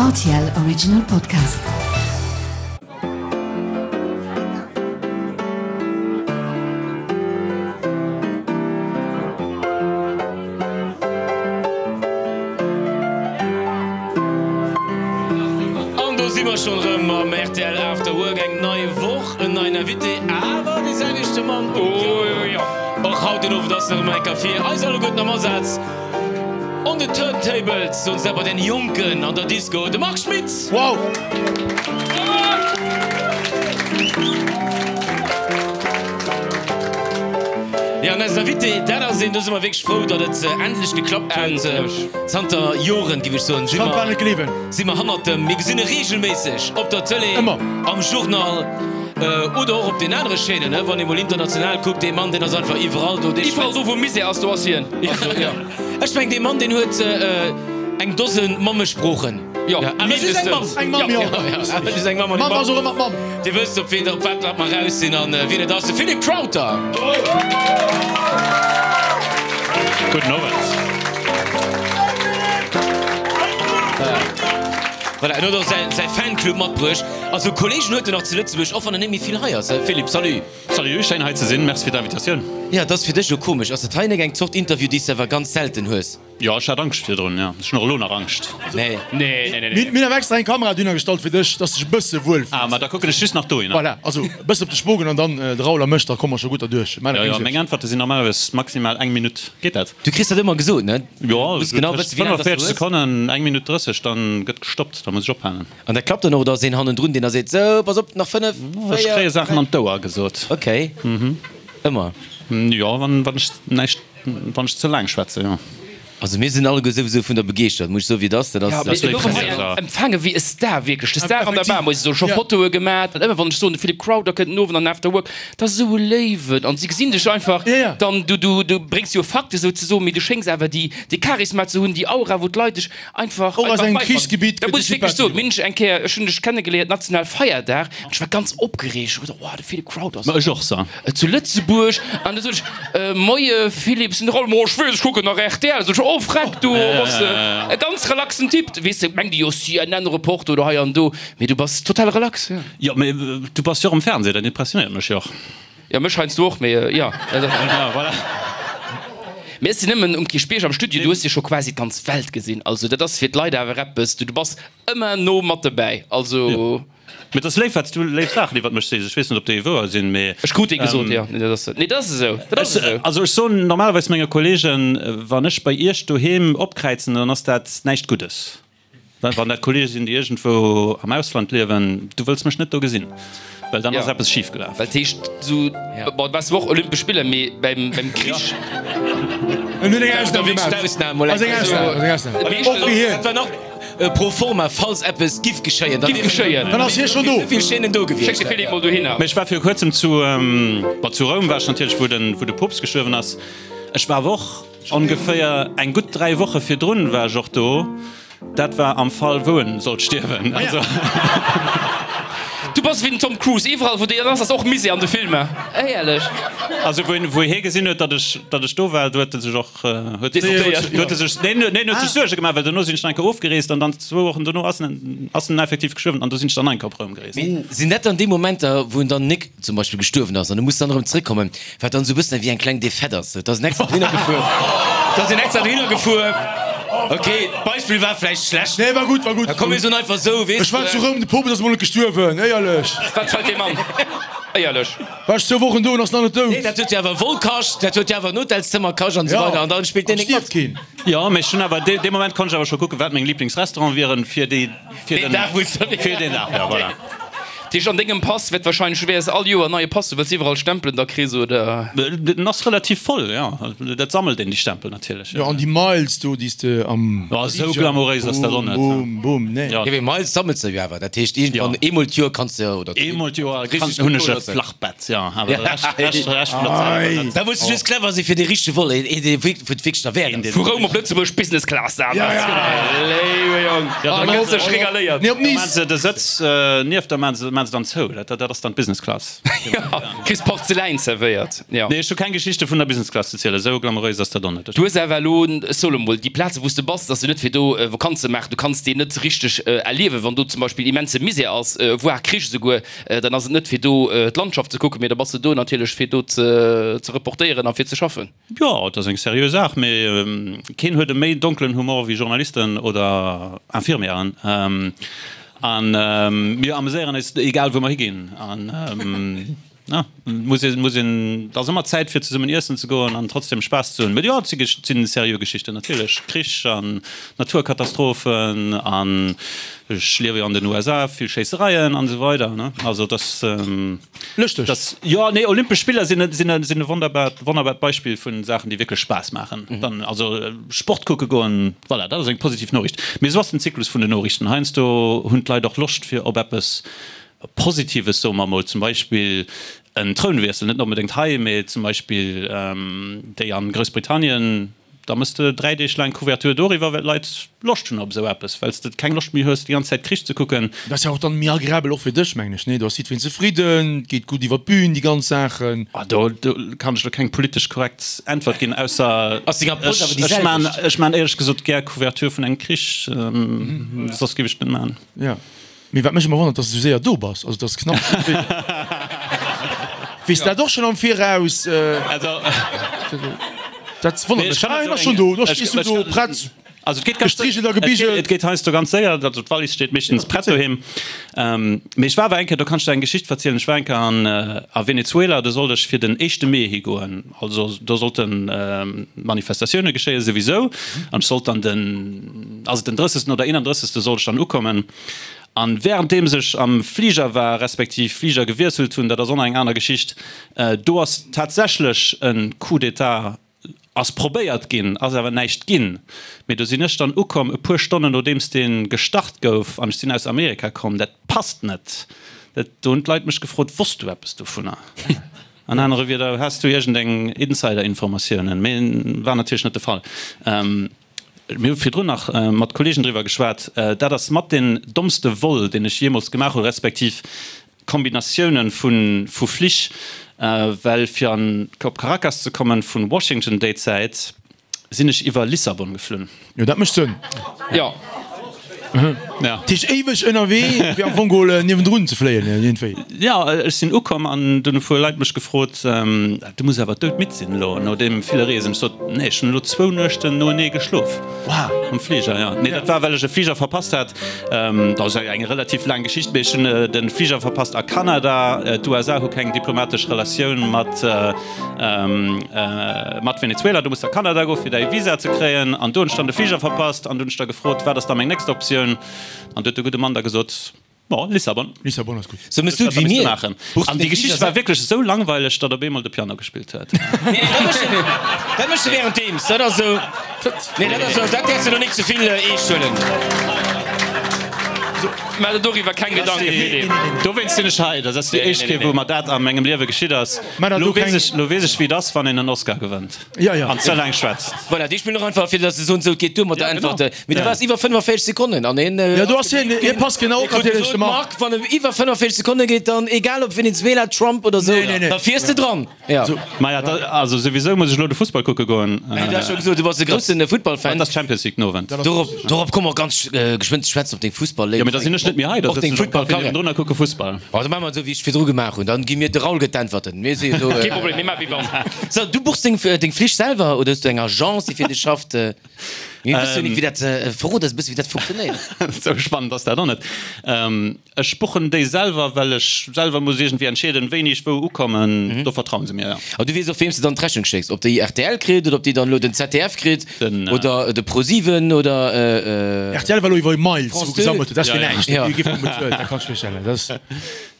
Rtl Original Podcast. An do si mer schonn erëm mam rtl After Work. Eng nei Woch, en neien Invité, awer dee selwechte Mann um Piano. Och haut den Owend ass en erëm eng Kéier fir eis alleguerten am Asaz. On the turntables, soen se bei den Jonken an der Disco, de Marc Schmitz! Wow! Jo, an eisen Invité, dat ass een, do si mer wierklech frou, datt et endlech geklappt huet. Zanter Joren, géif ech soen, si mer, si mer hannert dem, mir gesinn e reegelméisseg op der Tëlee, am Journal oder och op den anere Chaînen, wann ee mol international kuckt. Dee Mann, deen ass einfach iwwerall do. Dee Iwwerall do, wou Misär ass, do ass hien. Ech meng, dee Mann, deen huet eng Dose Mammesproochen. Jo, awer just eng Mamm. Eng Mamm, jo. Awer just eng Mamm. Mamm ass och ëmmer d'Mamm. Dir wësst, op wien, op wat mer raus sinn an wien et ass, de Philippe Crowther. Gudden Owend. Voilà, en huet och säi Fanclub matbruecht. Also Kolleegen huet en nach zu Lëtzebuerg, och wann en net méi vill hei ass. Philippe, salut. Salut, schéin hei ze sinn, merci fir d'Invitatioun. Jo, et ass fir dech elo komesch. Ass dat hei nek eng Zort Interview, déi s de awer ganz selten hues? Jo, ech hat Angscht virdrun, jo. Ech hunn och elo nach Angscht. Nee. Nee, nee, nee, nee. Mir hunn awer extra eng Kamera dohinner gestallt fir dech, dass de dech e bësse wuel fills. Ah, ma da kucken ech just nach dohinner. Voilà, also e bësse op de Spogen an dann de Raoul a mech, da komme mer scho gutt derduerch. Maach der Jo, keng jo, Suerg. meng Äntwerte sinn normalerweis maximal eng Minutt. Geet dat? Du kriss dat ëmmer gesot, ne? Jo, Muss genau tëscht wëssen, wéi laang dass du 45 hues. Sekonnen, eng Minutt 30, dann gëtt gestoppt, da muss ech ophalen. An dat klappt dann och, oder ass een hannendrun, deen da seet, Sou, pass op, nach 5, 4, Ech kréie Saachen 3. an d'Ouer gesot. Ok. Ëmmer? Jo, wann ech näischt, wann ech ze laang schwätze, jo. Also mir sinn alleguer souwisou vun der begeeschtert, muss ech soen, wéi et ass. Dat ass. Jo, mee elo hei empfaange wéi e Star, wierklech de Star an der Bar, muss ech soen. Scho Fotoe gemat an ëmmer wann ech soen, de Philippe Crowther kënnt den Owend an After Work, dat ass esou e Léiwen an si gesinn dech einfach, dann du, du, du bréngs jo Fakte souzesoen, mee du schéngs awer déi, dee Charisma ze hunn, déi Aura, wou d'Leit dech Einfach, Och aus einfach engem beifannen. Krichsgebitt Dat gëtt muss de ech wierklech soen. Sympathie. Mir hunn dech eng Kéier, ech hunn dech kennegeléiert national Feierdag, an ech war ganz opgereegt. Ech hu geduecht, oh, de Philippe Crowther ass Ma ech och, sa. zu Lëtzebuerg. An da sot ech, Moie Philippe, sinn der all, Mo ech weess, ech kucken nach rtl. Sot ech, oh freck, du bass e ganz relaxen Typ. Weess de, mengt ee jo CNN-Reporter oder hei an do, mee du bass total relax, jo. Jo, mee du bass jo och am Fernseh, dat impressionéiert mech jo och. Jo, mech heiansdo och, mee jo. Ja, voilà. Mee ech sinn nëmmen um Kierchbierg am Studio, du hues jo scho quasi d'ganz Welt gesinn. Also dat ass fir d'Leit awer eppes, du bass ëmmer no mat dobäi. Also. Jo. Mee et ass léif, wat s du léif Saachen iwwert mech sees. Ech weess net, ob déi wouer sinn, mee. Ech krut déi gesot, jo. Nee, dat ass, nee, dat ass esou. Dat ass esou. Also ech soen normalerweis menge Kollegen, wann ech bei iech doheem opkräizen, dann ass dat näischt Guddes. Wann dat Kollege sinn, déi iergendwou am Ausland liewen, du wëlls mech net do gesinn, well dann ass eppes schif gelaf. Well et heescht esou, bon, du waars zwar och Olympesch Spiller, mee beim Krich. En huet eng Ausnam gemaach. Ass eng Ausnam, ass eng Ausnam. Och fir hien. Dat war nach pro forma, falls eppes giff geschéien. Giff geschéien. Dann ass hie schonn do. Esou vill Chaînen do gewiescht. Schéck de Philippe mol dohinner. Mee ech war viru kuerzem zu, bon, zu Roum war ech natierlech, wou de Poopst gestuerwen ass. Ech war awer och. Ongeféier eng gutt 3 Woche virdrun war ech och do. Dat war am Fall wou en sollt stierwen. Also. Du bass wéi den Tom Cruise, iwwerall wou deen ass, ass och Misär an de Filmer. Éierlech. Also wou wou hie gesinn huet, datt ech datt ech do war, do huet e sech och huet Decidéiert. huet e sech neen neen huet sech Suerge gemaach, well dono sinn ech nach eng Kéier ofgereest an dann zwou Wochen dono ass en ass en effektiv gestuerwen an do sinn ech dann nach eng Kéier op Roum gereest. Mee sinn dat dann déi Momenter wou en dann nik zum Beispill gestuerwen ass an du muss dann erëm zréckkommen, wat dann esou e bëssen ewéi eng kleng Defaite ass. Et ass en extra dohinner gefuer, et ass en extra dohinner gefuer. Ok, d'Beispill war vläicht schlecht. Nee, war gutt, war gutt. Da komm mir soen einfach esou, weess Ech war zu Roum, de Poopst ass emol net gestuerwen, éierlech. Wat fält deem an? Éierlech. War ech zwou Wochen do en ass nach net dout. Nee, dat huet jo awer e Vol kascht, dat huet jo awer en Hotelszëmmer kascht an esou Ja, weider an dann spillt an deen nik mat. stierft keen. Jo, mee ech hunn awer, dee Moment konnt ech awer scho kucken, wat meng Liblingsrestauranten wieren fir déi, fir Deen den, Dag wou s de. fir deen Dag, jo, voilà. Tisch, an dengem Pass wäert wahrscheinlech, du wäers all Joer en neie Pass, du wëlls iwwerall Stempelen da kriss, oder? Den ass relativ voll, jo. Dat sammelt een, déi Stempel natierlech. Jo, an déi Miles do, déi s de am Jo, esou glamouréis ass dat och net. Boom, boom, boom, nee. Jo. Jo, mee Miles sammels de jo awer, dat heescht iergendwann eemol d'Joer kanns de, oder. Eemol d'Joer kann, hunn ech e Flachbett, jo, awer de Rescht, Rescht, Rescht vun der Zäit ass dat. Da muss de just clever sinn, fir dee richtege Vol, een, dee wierk, wou et wierklech derwäert ass. Vu Roum op Lëtzebuerg, Business Class, dat ass, léiwe Jong, da gëtt sech regaléiert. Nee, op Da Nice. maan se de Sëtz nieft der, maan se. maache se dann zou. Dat, dat ass dann d'Business Class. Jo, kriss Porzeläin zerwéiert, jo. Nee, ech hu keng Geschichte vun der Business Class ze zielen, esou glamouréis ass dat och net. Du hues awer elo, ech soe lo mol, déi Plaze wou s de bass, dat ass jo net fir do Vakanz ze maachen. Du kanns déi net richteg erliewen, wann do zum Beispill immense Misär ass, voire Krich esouguer, dann ass et net fir do d'Landschaft ze kucken, mee da bass de do natierlech fir do ze reportéieren a fir ze schaffen. Jo, et ass eng seriö Saach, mee keen huet e méi donkelen Humor wéi Journalisten oder Infirmièren. A mir ameséieren eis egal wou mer higinn. An ja, muss een, muss een, et ass ëmmer Zäit fir zesummen iessen ze goen an trotzdem Spaass ze hunn. Mee jo, et si seriö Geschichten natierlech, Krich an Naturkatastrophen an ech liewe jo an den USA, vill Schéissereien an esou weider, ne. Also et ass. Lëschteg. Das, jo, nee, Olympesch Spiller sinn, sinn, sinn e wonnerbart, wonnerbart Beispill vun Saachen, déi wierklech Spaass maachen. Dann, also Sport kucke goen, voilà, dat ass eng positiv Noriicht. Mee esou ass den Zyklus vun den Noriichten. Heiansdo hunn d'Leit och Loscht fir op eppes Positives, soe mer emol, zum Beispill en Trounwiessel, net onbedéngt hei, mee zum Beispill déi an Groussbritannien. Da mëss de 3 Deeg laang Couverture doriwwer, well d'Leit Loscht hunn op esou eppes, well s de keng Loscht méi hues, déi ganz Zäit Krich ze kucken. Dat ass jo och dann méi agreabel och fir dech, mengen ech, nee? Do ass jiddwereen zefridden, et geet gutt iwwer d'Bühn, déi ganz Saachen. Ah, do kann ech elo keng politesch korrekt Äntwert ginn, ausser Ass deng Approche awer déi ech maan, selwecht? ech maan éierlech gesot gär Couverture vun engem Krich, soss géif ech et net maan. Jo. Mee wat mech ëmmer wonnert, dass de sou séier do bass, also dass knapp. Weess dat och schonn am Viraus? Dat wonnert mech. Ah, hien ass schonn do, da stees du do prett. Also et geet ganz Gestrigelt a gebigelt. Et geet heiansdo ganz séier, also d'Wallis steet meeschtens prett doheem. Mee ech war awer eng Kéier, do kann ech der eng Geschicht verzielen, ech war eng Kéier an a Venezuela, do sollt ech fir den éischte Mee higoen, also do sollte Manifestatioune geschéien souwisou, an ech sollt dann den, ass et den drëssegsten oder eenandrëssegste sollt ech dann ukommen. An währenddeems ech am Fliger war, respektiv Fliger gewiesselt hunn, dat ass och nach eng aner Geschicht, do ass tatsächlech e Coup d'État ass probéiert ginn, ass awer näischt ginn. Mee do sinn ech dann ukomm e puer Stonnen nodeems dee gestart gouf, an ech sinn aus Amerika komm. Dat passt net. Dat, do hunn d'Leit mech gefrot, Wosst du eppes dovunner? An anere Wieder, Has du iergendeng Insider-Informatiounen? Mee war natierlech net de Fall. Mir hu virdrun nach mat Kollegen driwwer geschwat, dat ass mat deen dommste Vol, deen ech jeemools gemaach hunn, respektiv Kombinatiounen vu Flich, well fir an op Caracas ze kommen vu Washington déi Zäit, sinn ech iwwer Lissabon geflunn. Jo, dat mécht Sënn. Jo. Dat heescht éiweg ënnerwee, fir am Fong geholl niewendrun ze fléien iergendwéi. Jo, ech sinn ukomm an dunn hu puer Leit mech gefrot, Du muss awer doudmidd sinn elo no deem ville Reesen. Ech sot, Nee, ech hunn elo zwou Nuechten noenee geschlof am Fliger. Jo, nee, dat war well ech e Fliger verpasst hat. Dat ass eng relativ laang Geschicht, mee ech hunn de Fliger verpasst a Kanada. D'USA hu keng diplomatesch Relatioun mat Mat Venezuela, du muss a Kanada goen, fir däi Visa ze kréien. An do hunn ech dann de Fliger verpasst an du hunn ech da gefrot, wat ass da meng nächst Optioun? An du huet de gudde Mann da gesot, Bon, Lissabon. Lissabon ass gutt. Sou mëss du et wéi mir. An déi Geschicht war wierklech esou langweileg, datt op eemol de Piano gespillt huet. Nee, dat méchs de, dat méchs de währenddeems. Dat ass esou, nee, dat ass esou, dat däerfs de lo nik ze vill eescht huelen. Maach der doriwwer keng Gedanken, Philippe. Dowéinst sinn ech hei. Dat ass déi éischt Kéier, wou mer dat a mengem Liewe geschitt ass. Lo weess ech, lo weess ech, wéi et ass, wann een en Oscar gewënnt an ze laang schwätzt. Voilà, déi spillen och einfach, fir datt se soen, sou, et geet duer mat der Äntwert. Mee du waars iwwer 45 Sekonnen an hien. Jo, do ass hien, hie passt genau op natierlech, de Marc. Marc, wann et iwwer 45 Sekonne geet, dann, egal ob Venezuela, Trump oder sou, da fiers de dran. Jo. Maja, da, also souwisou muss ech elo de Fussball kucke goen. Du has scho gesot, du bass e grousse Futtballfan. Dat ass Champions League den Owend. Dorop, dorop komme mer ganz geschwënn ze schwätzen, op deng Fussball-Léift. Jo, mee da sinn ech net méi hei, da sëtzen ech am Café niewendrun a kucke Fussball. Oh, da maache mer et esou, wéi ech virdru gemaach hunn. Dann gi mir, de Raoul gëtt d'Äntwerten. Mir si jo do. Kee Problem, mir maache wéi wann. So, du buchs deng, deng Flich selwer oder hues du eng Agence, déi fir dech schafft? Mir wësse jo net, wéi dat, verrot eis e bësse, wéi dat funktionéiert. Esou spannend ass dat och net. Ech buchen déi selwer, well ech selwer muss iergendwéi entscheeden, wéini ech wou ukommen. Do vertrauen se mir, jo. An du weess och, weem s de dann d'Rechnung schécks? Ob déi rtl kritt oder ob déi dann elo den ZDF kritt oder de ProSieben oder. Rtl war elo iwwer Miles, wou gesammelt huet. Dat ass fir näischt. Déi gi vum bezuelt, dat kanns du virstellen. Dat ass.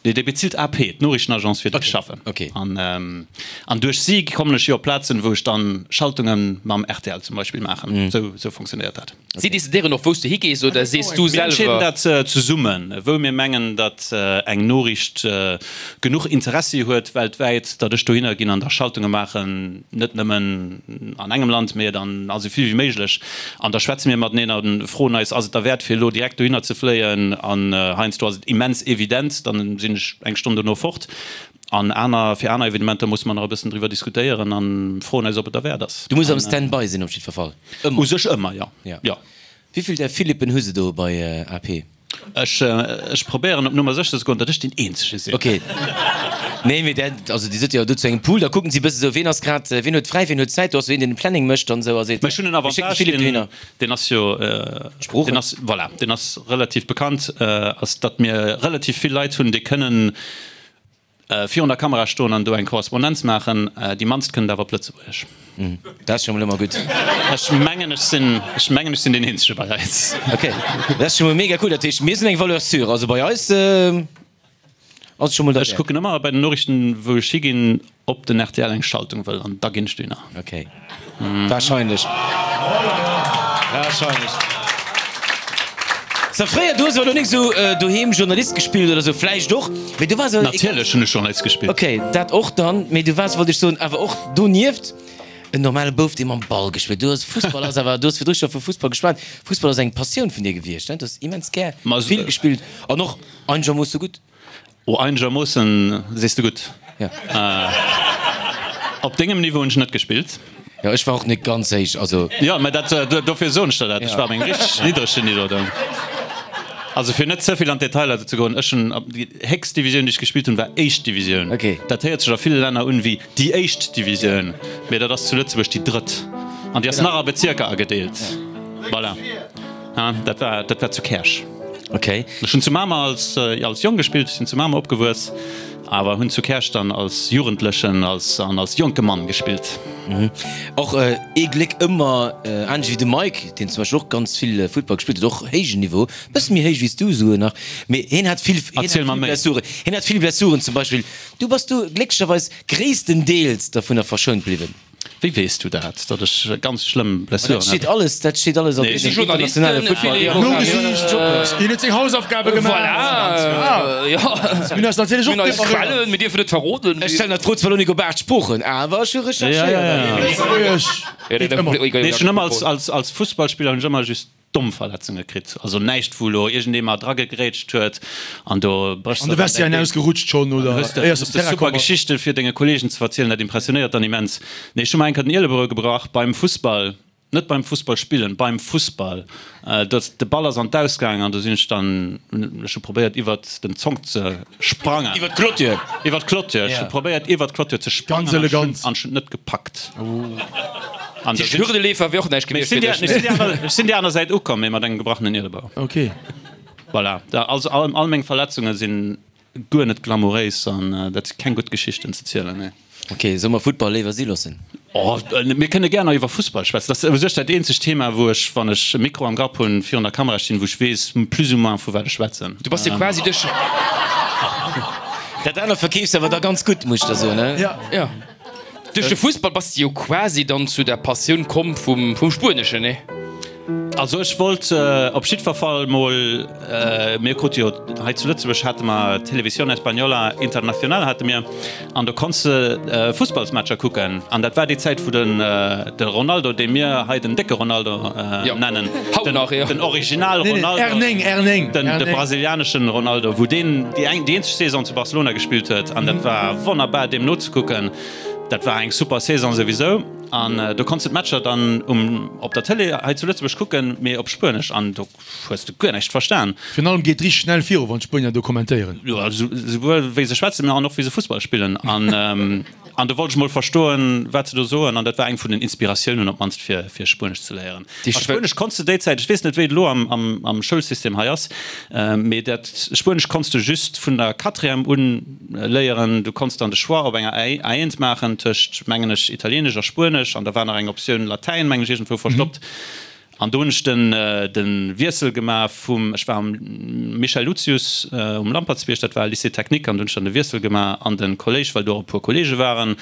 Nee, déi bezilt AP, d'Noriichtenagence, fir déi ech schaffen. An duerch si kommen ech jo op Plazen, wou ech dann Schaltunge mam rtl zum Beispill maachen. Esou funktionéiert dat. Si decidéieren och, wou s de higees, oder sees du selwer? Mir entscheeden dat zesummen, wou mir mengen, datt eng Noriicht genuch Interessi huet weltwäit, datt ech dohinner ginn an da Schaltunge maachen, net nëmmen an engem Land, mee dann a sou vill wéi méiglech. An da schwätze mir mateneen a froen eis, ass et derwäert fir elo direkt dohinner ze fléien? An heiansdo ass et immens evident, dann sinn. sinn ech eng Stonn dono fort. An aner, fir aner Evenementer musse mer nach e bëssen driwwer diskutéieren a froen eis, ob et derwäert ass. Du muss am Stand-by sinn op jiddwer Fall. Ëmmer. U sech ëmmer, jo. Jo. Wéi vill där Philippen hu se do bei AP? Ech, ech probéieren op Nummer sécher ze goen, datt ech deen Eenzege sinn. Ok. Nee, mee dat, also Dir sidd jo do zu engem Pool, da kucken si e bësse sou, ween ass grad, ween huet fräi, ween huet Zäit, do ass sou een, deen de Planning mécht an esou a seet, Mä ech hunn en mir schécken de Avantage, Philippe deen, dohinner. deen ass jo, Sproochen. deen ass, voilà, deen ass relativ bekannt, ass datt mir relativ vill Leit hunn, déi kënnen virun der Kamera stoen an do eng Korrespondenz maachen. Déi mannst kënnen et awer op Lëtzebuergesch. Dat ass scho mol ëmmer gutt. Ech mengen, ech sinn, ech mengen, ech sinn deen Eenzege bei eis. Ok, dat ass scho mol mega cool. Dat heescht, mir sinn eng Valeur sûre. Also bei eis ass et scho mol Ech derwäert. kucken ëmmer bei den Noriichten, wou ech higinn, Ob den rtl eng Schaltung wëll an da ginn ech dohinner. Ok. Wahrscheinlech. Wahrscheinlech. So, fréier, du hues awer lo nik sou doheem Journalist gespillt oder sou, vläicht och, mee du waars awer. Natierlech hunn ech Journalist gespillt. Ok, dat och dann, mee du waars, wollt ech soen, awer och donieft en normale Bouf, dee mam Ball gespillt. Du hues, Fussball ass awer, du hues virdru scho vu Fussball geschwat, Fussball ass eng Passioun vun dir gewiescht, ne? Du hues immens gär vill gespillt an och einegermoosse gutt. Oh einegermoossen sees de gutt. Op dengem Niveau hunn ech net gespillt. Jo ech war och net ganz héich, also. Jo mä dat dofir soen ech der dat, ech war op engem richteg niddregen Niveau do. Also fir net ze vill an d'Detailer ze goen, ech hunn déi héchst Divisioun déi ech gespillt hunn war éischt Divisioun. Dat héiert sech a ville Länner un wéi déi éischt Divisioun, mä dat ass zu Lëtzebuerg déi drëtt an déi ass nach a Bezierker agedeelt. Voilà. Dat war dat war zu Käerch. Okay. Ech hunn zu Mamer als als Jong gespillt, ech sinn zu Mamer opgewuess, awer hunn zu Käerch dann als Jugendlechen als an als jonke Mann gespillt. Och ee Gléck ëmmer, anescht wéi de Mike, deen zum Beispill och ganz vill Futtball gespillt huet, och héijen Niveau, bësse méi héich wéi s du esouguer nach, mee hien hat vill, hien hat Erziel mer vill méi. Blessuren, hien hat vill Blessuren zum Beispill. Du bass du glécklecherweis gréisstendeels dovunner verschount bliwwen. Wéi weess du dat, datt ech ganz schlëmm Blessuren Dat steet alles, dat steet alles op deenen internationale Futtball. Nogesicht, hien huet seng Hausaufgabe gemaach. Voilà, jo. Mir hunn eis natierlech och Mir hunn eis preparéiert. Quellen, mir dierfen net verroden. Ech stellen der d'Fro zwar lo nik op 8 Sproochen, awer ech hu recherchéiert. Lëtzebuergesch geet ëmmer. Nee, ech hunn ëmmer als, als Fussballspiller hunn ech ëmmer just domm Verletzunge kritt, also näischt wou elo iergendee mer dragegrätscht huet an do bréchs An de de Vestiaire dein Been. ausgerutscht schonn oder Hues de éiers op hues de Terrain super komm ass. Geschichte fir denge Kollegen ze verzielen, dat impressionéiert dann immens. Nee, ech hu mer eng Kéier den Ielebou gebrach beim Fussball, net beim Fussball spillen, beim Fussball. Dat de Ball ass an d'Aus gaangen an do sinn ech dann, ech hu probéiert iwwert den Zonk ze sprangen. Iwwert d'Clôture? Iwwert d'Clôture, ech hu probéiert iwwert d'Clôture ze sprangen Ganz elegant. an ech hunn et net gepackt. An de Hürdeleefer wier och näischt gewiescht fir dech, ne? Ech sinn déi aner Säit ukomm, mee mat engem gebrachenen Ielebou. Ok. Voilà, also all meng Verletzunge sinn guer net glamouréis an dat si keng gutt Geschichten ze zielen, nee. Ok, solle mer Futtball léiwer si loossen? Oh, mir kënne gär nach iwwer Fussball schwätzen. Dat ass u sech dat eenzegt Thema, wou ech, wann ech e Mikro am Grapp hunn, virun der Kamera stinn, wou ech weess plus ou moins vu wat ech schwätzen. Du bass jo quasi duerch. Dat anert verkeefs de awer da ganz gutt, muss ech der soen, ne? Jo. Duerch de Fussball bass de jo quasi dann zu der Passioun komm vum Spueneschen, nee? Also ech wollt op jiddwer Fall mol, mir krute jo hei zu Lëtzebuerg hate mer Televisión Española Internacional hate mir an do konns de Fussballsmatcher kucken an dat war déi Zäit wou den de Ronaldo, dee mir hei den décke Ronaldo nennen, den Original Ronaldo, den de brasilianeschen Ronaldo, wou deen déi eng déi eenzeg Saison zu Barcelona gespillt huet an dat war wonnerbar deem nozekucken. Dat war eng super Saison souwisou an do konns de d'Matcher dann um op der Tëlee hei zu Lëtzebuerg kucken, mee op Spuenesch an do hues de guer näischt verstan. Virun allem geet richteg schnell viru wann d'Spuenier do kommentéieren. Jo, souwuel wéi se schwätzen, mee an och wéi se Fussball spillen an an do wollt ech mol verstoen wat se do soen an dat war eng vun den Inspiratiounen op d'mannst fir fir Spuenesch ze léieren. A Spuenesch konns de déi Zäit, ech weess net wéi et elo am am am Schoulsystem hei ass, mee dat Spuenesch konns de just vun der Quatrième un Léieren. Du konns dann de Choix op enger A1 maachen tëscht, mengen ech, Italieenesch a Spuenesch an da war nach eng Optioun Latäin, mengen ech, iergendwou verstoppt. An do hunn ech den de Wiessel gemaach vum, ech war am Michel Lucius um Lampertsbierg, dat war e Lycée technique, an do hunn ech dann de Wiessel gemaach an de Kolléisch, well do och e puer Kolleege waren.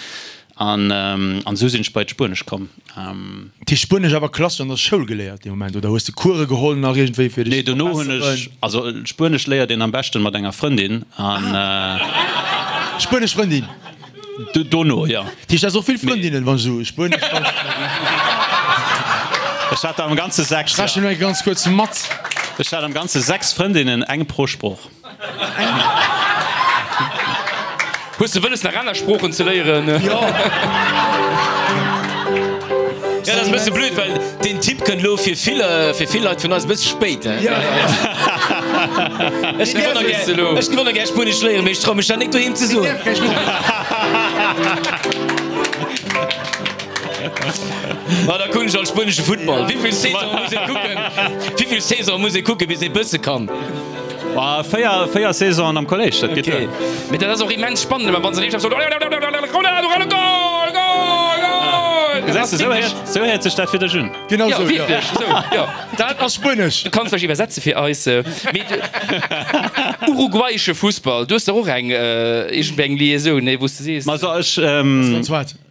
An an esou sinn ech bei d'Spuenesch komm. Dat heescht Spuenesch awer klassesch an der Schoul geléiert dee Moment oder hues de Course geholl nach iergendwéi fir dech Nee, ze dono hunn ech, verbesseren? also Spuenesch léiert een am beschten mat enger Frëndin an. Spuenesch Frëndin? Dono, jo. Dat heescht du has och vill Frëndinnen, wann ech esou Spuenesch. Ech hat der am Ganze 6, Ech rechnen elo ganz kuerz mat. Ech hat am Ganze 6 Frëndinnen, eng pro Sprooch. Hues de wëlles nach aner Sproochen ze léieren? Jo. Ja, dat ass e bësse blöd, well deen Tipp kënnt elo fir vill, fir vill Leit vun eis e bësse spéit, he? Ja. Ech géif och nach gär, ech géif och nach gär Spuenesch léieren, mee ech trau mech dat nik doheem ze soen. Ma da kucken ech alt spuenesche Futtball. Wéivill Saison muss ee kucken, wéivill Saison muss ee kucken, bis ee bësse kann? Bah, 4, 4 Saisonen am Kolléisch, dat geet duer. Mee dat ass och immens spannend, ëmmer wann se riicht op Ronaldo, Ronaldo, Goal, Goal, Goal! Gesäis de, sou héiert, sou héiert sech dat fir dech un. Genau sou, jo. Wierklech, sou, jo. Dat ass Spuenesch. Du kanns vläicht iwwersetze fir eis. Mee uruguayesche Fussball, du hues dach och eng, iergendwéi eng Liaisoun, nee, wou s de sees. Ma also ech,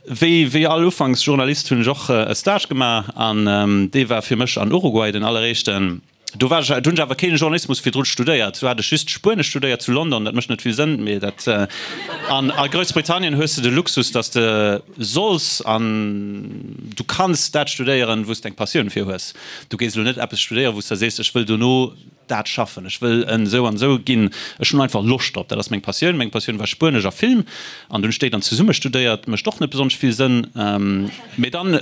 wéi, wéi all Ufanksjournalist hunn ech och e Stage gemaach an dee war fir mech an Uruguay, den alleréischten. Do war ech, do hunn ech awer keen Journalismus virdrun studéiert. Do hat ech just Spuenesch studéiert zu London. Dat mécht net vill Sënn, mee dat. An a Groussbritannien hues de de Luxus, datt s de solls an du kanns dat studéieren, wou s de eng Passioun fir hues. Du gees elo net eppes studéieren, wou s de sees, ech wëll dono dat schaffen, ech wëll en esou an esou ginn. Ech hunn einfach Loscht drop, dat ass meng Passioun. Meng Passioun war Spuenesch a Film an dunn hu ech déi dann zesumme studéiert. Mécht och net besonnesch vill Sënn, mee dann.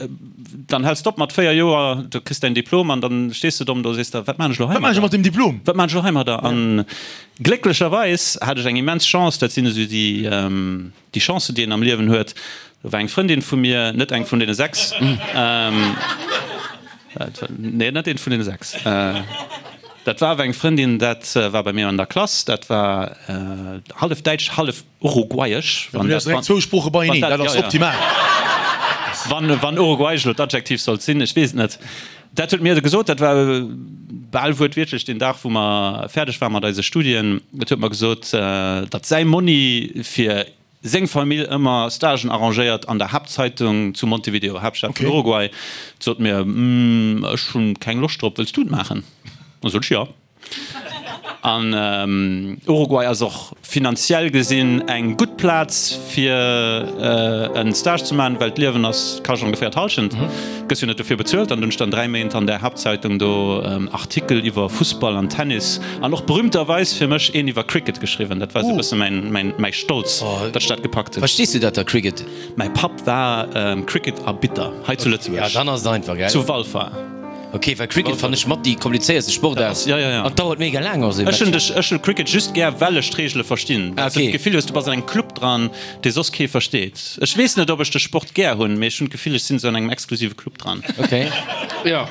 Dann häls de op mat 4 Joer, du kriss däin Diplom an dann stees de domm do a sees der, wat maan ech elo heimadder? Wat maan ech mat dem Diplom? Wat maan ech elo heimadder? An glécklecherweis hat ech eng immens Chance, dat sinn esou déi, déi Chancen, déi een am Liewen huet. Do war eng Frëndin vu mir, net eng vun deene 6, nee, net eent vun deene 6, dat war awer eng Frëndin, dat war bei mir an der Klass, dat war hallef däitsch, hallef. Uruguayesch, wann dat, direkt zwou Sprooche beieneen, dat ass optimal. Wann, wann uruguayesch elo d'Adjektiv sollt sinn, ech weess et net. Dat huet mir gesot, dat war bal wuertwiertlech deen Dag, wou mer fäerdeg ware mat eise Studien. Et huet mer gesot, datt säi Monni fir seng Famill ëmmer Stagen arrangéiert an der Haaptzeitung zu Montevideo, Haaptstad vun Uruguay. Sot mir, Ech hunn keng Loscht drop, wëlls du et maachen? Da sot ech, Jo. An Uruguay ass och finanziell gesinn eng gutt Plaz fir en Stage ze maachen, well d'Liewen ass kascht ongeféier d'Hallschent. Gëss jo net dofir bezuelt. An dunn ech dann 3 Méint an där Haaptzeitung do Artikel iwwer Fussball an Tennis an och berühmterweis fir mech een iwwer Cricket geschriwwen. Dat war esou e bësse mäin mäi Stolz, datt ech dat gepackt hunn. Verstees du dat da, Cricket? Mäi Papp war Cricket-Arbitter hei zu Lëtzebuerg. Ja, dann ass et einfach, gell? Zu Walfer. Ok, well Cricket fannen ech mat déi komplizéierste Sportaart. Ja, ja, ja. An dauert mega laang och esou e Ech hunn dech, ech hunn Cricket just gär, well ech d'Reegele verstinn. Well s du d'Gefill hues, du bass an engem Club dran, dee soss kee versteet. Ech weess net, ob ech de Sport gär hunn, mee ech hunn d'Gefill, ech sinn esou an engem exklusive Club dran. Ok. Ja.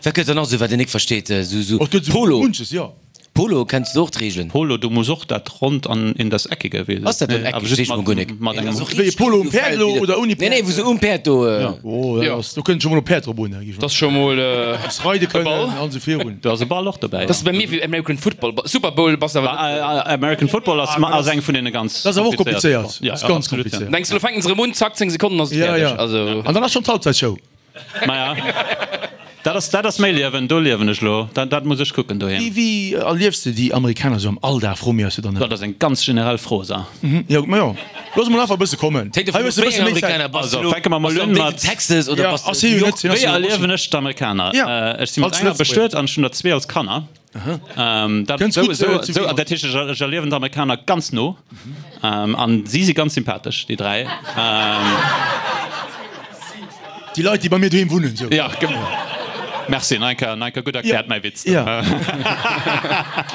Wat gëtt dann nach esou, wat een nik versteet? Esou, esou Polo. Munches, jo. Polo, kenns de och d'Reegelen? Polo, du muss och dat Ronnt an in das Eckige, weess Ass dat do eckeg? Weess ech mol guer nik. Mat engem. Wéi e Polo um Päerd elo oder ouni Päerd? Nee, nee, wou se um Päerd do. Oh, dat ass, do kënnt scho mol e Päerd drop un, géif ech. Dat ass scho mol e Muss reide kënnen an esou virun. Do ass e Ball och dobäi. Dat ass bei mir wéi American Football. Super Bowl bass awer net. American Football ass ass eng vun deene ganz. Dat ass awer och komplizéiert. Dat ass ganz komplizéiert. Denks du, lo fänken se erëm un, zack, 10 Sekonnen ass et fäerdeg. Also. An dann ass schonn d'Halbzeitshow. Maja, dat ass, dat ass méi Liewen, do liewen ech elo, dat, dat muss ech kucken doheem. Wéi, wéi erliefs de déi Amerikaner esou am Alldag, froe mir eis jo dann ëmmer. Dat ass eng ganz generell Fro, sa. Jo, ma jo, looss emol einfach e bësse kommen. Hei hues de e bësse méi Zäit. Also, fänke mer mol un mat. Texas oder bass de New York? Wéi erliewen ech d'Amerikaner? Ech si mat enger bestuet an ech hunn der zwee als Kanner. Dat, esou, esou, esou, dat heescht, ech, ech erliewen d'Amerikaner ganz no. An si si ganz sympathesch, déi dräi. Déi Leit, déi bei mir doheem wunnen, sou. Ja, merci, nach eng Kéier, nach eng Kéier gutt erkläert, mäi Witz. Ja.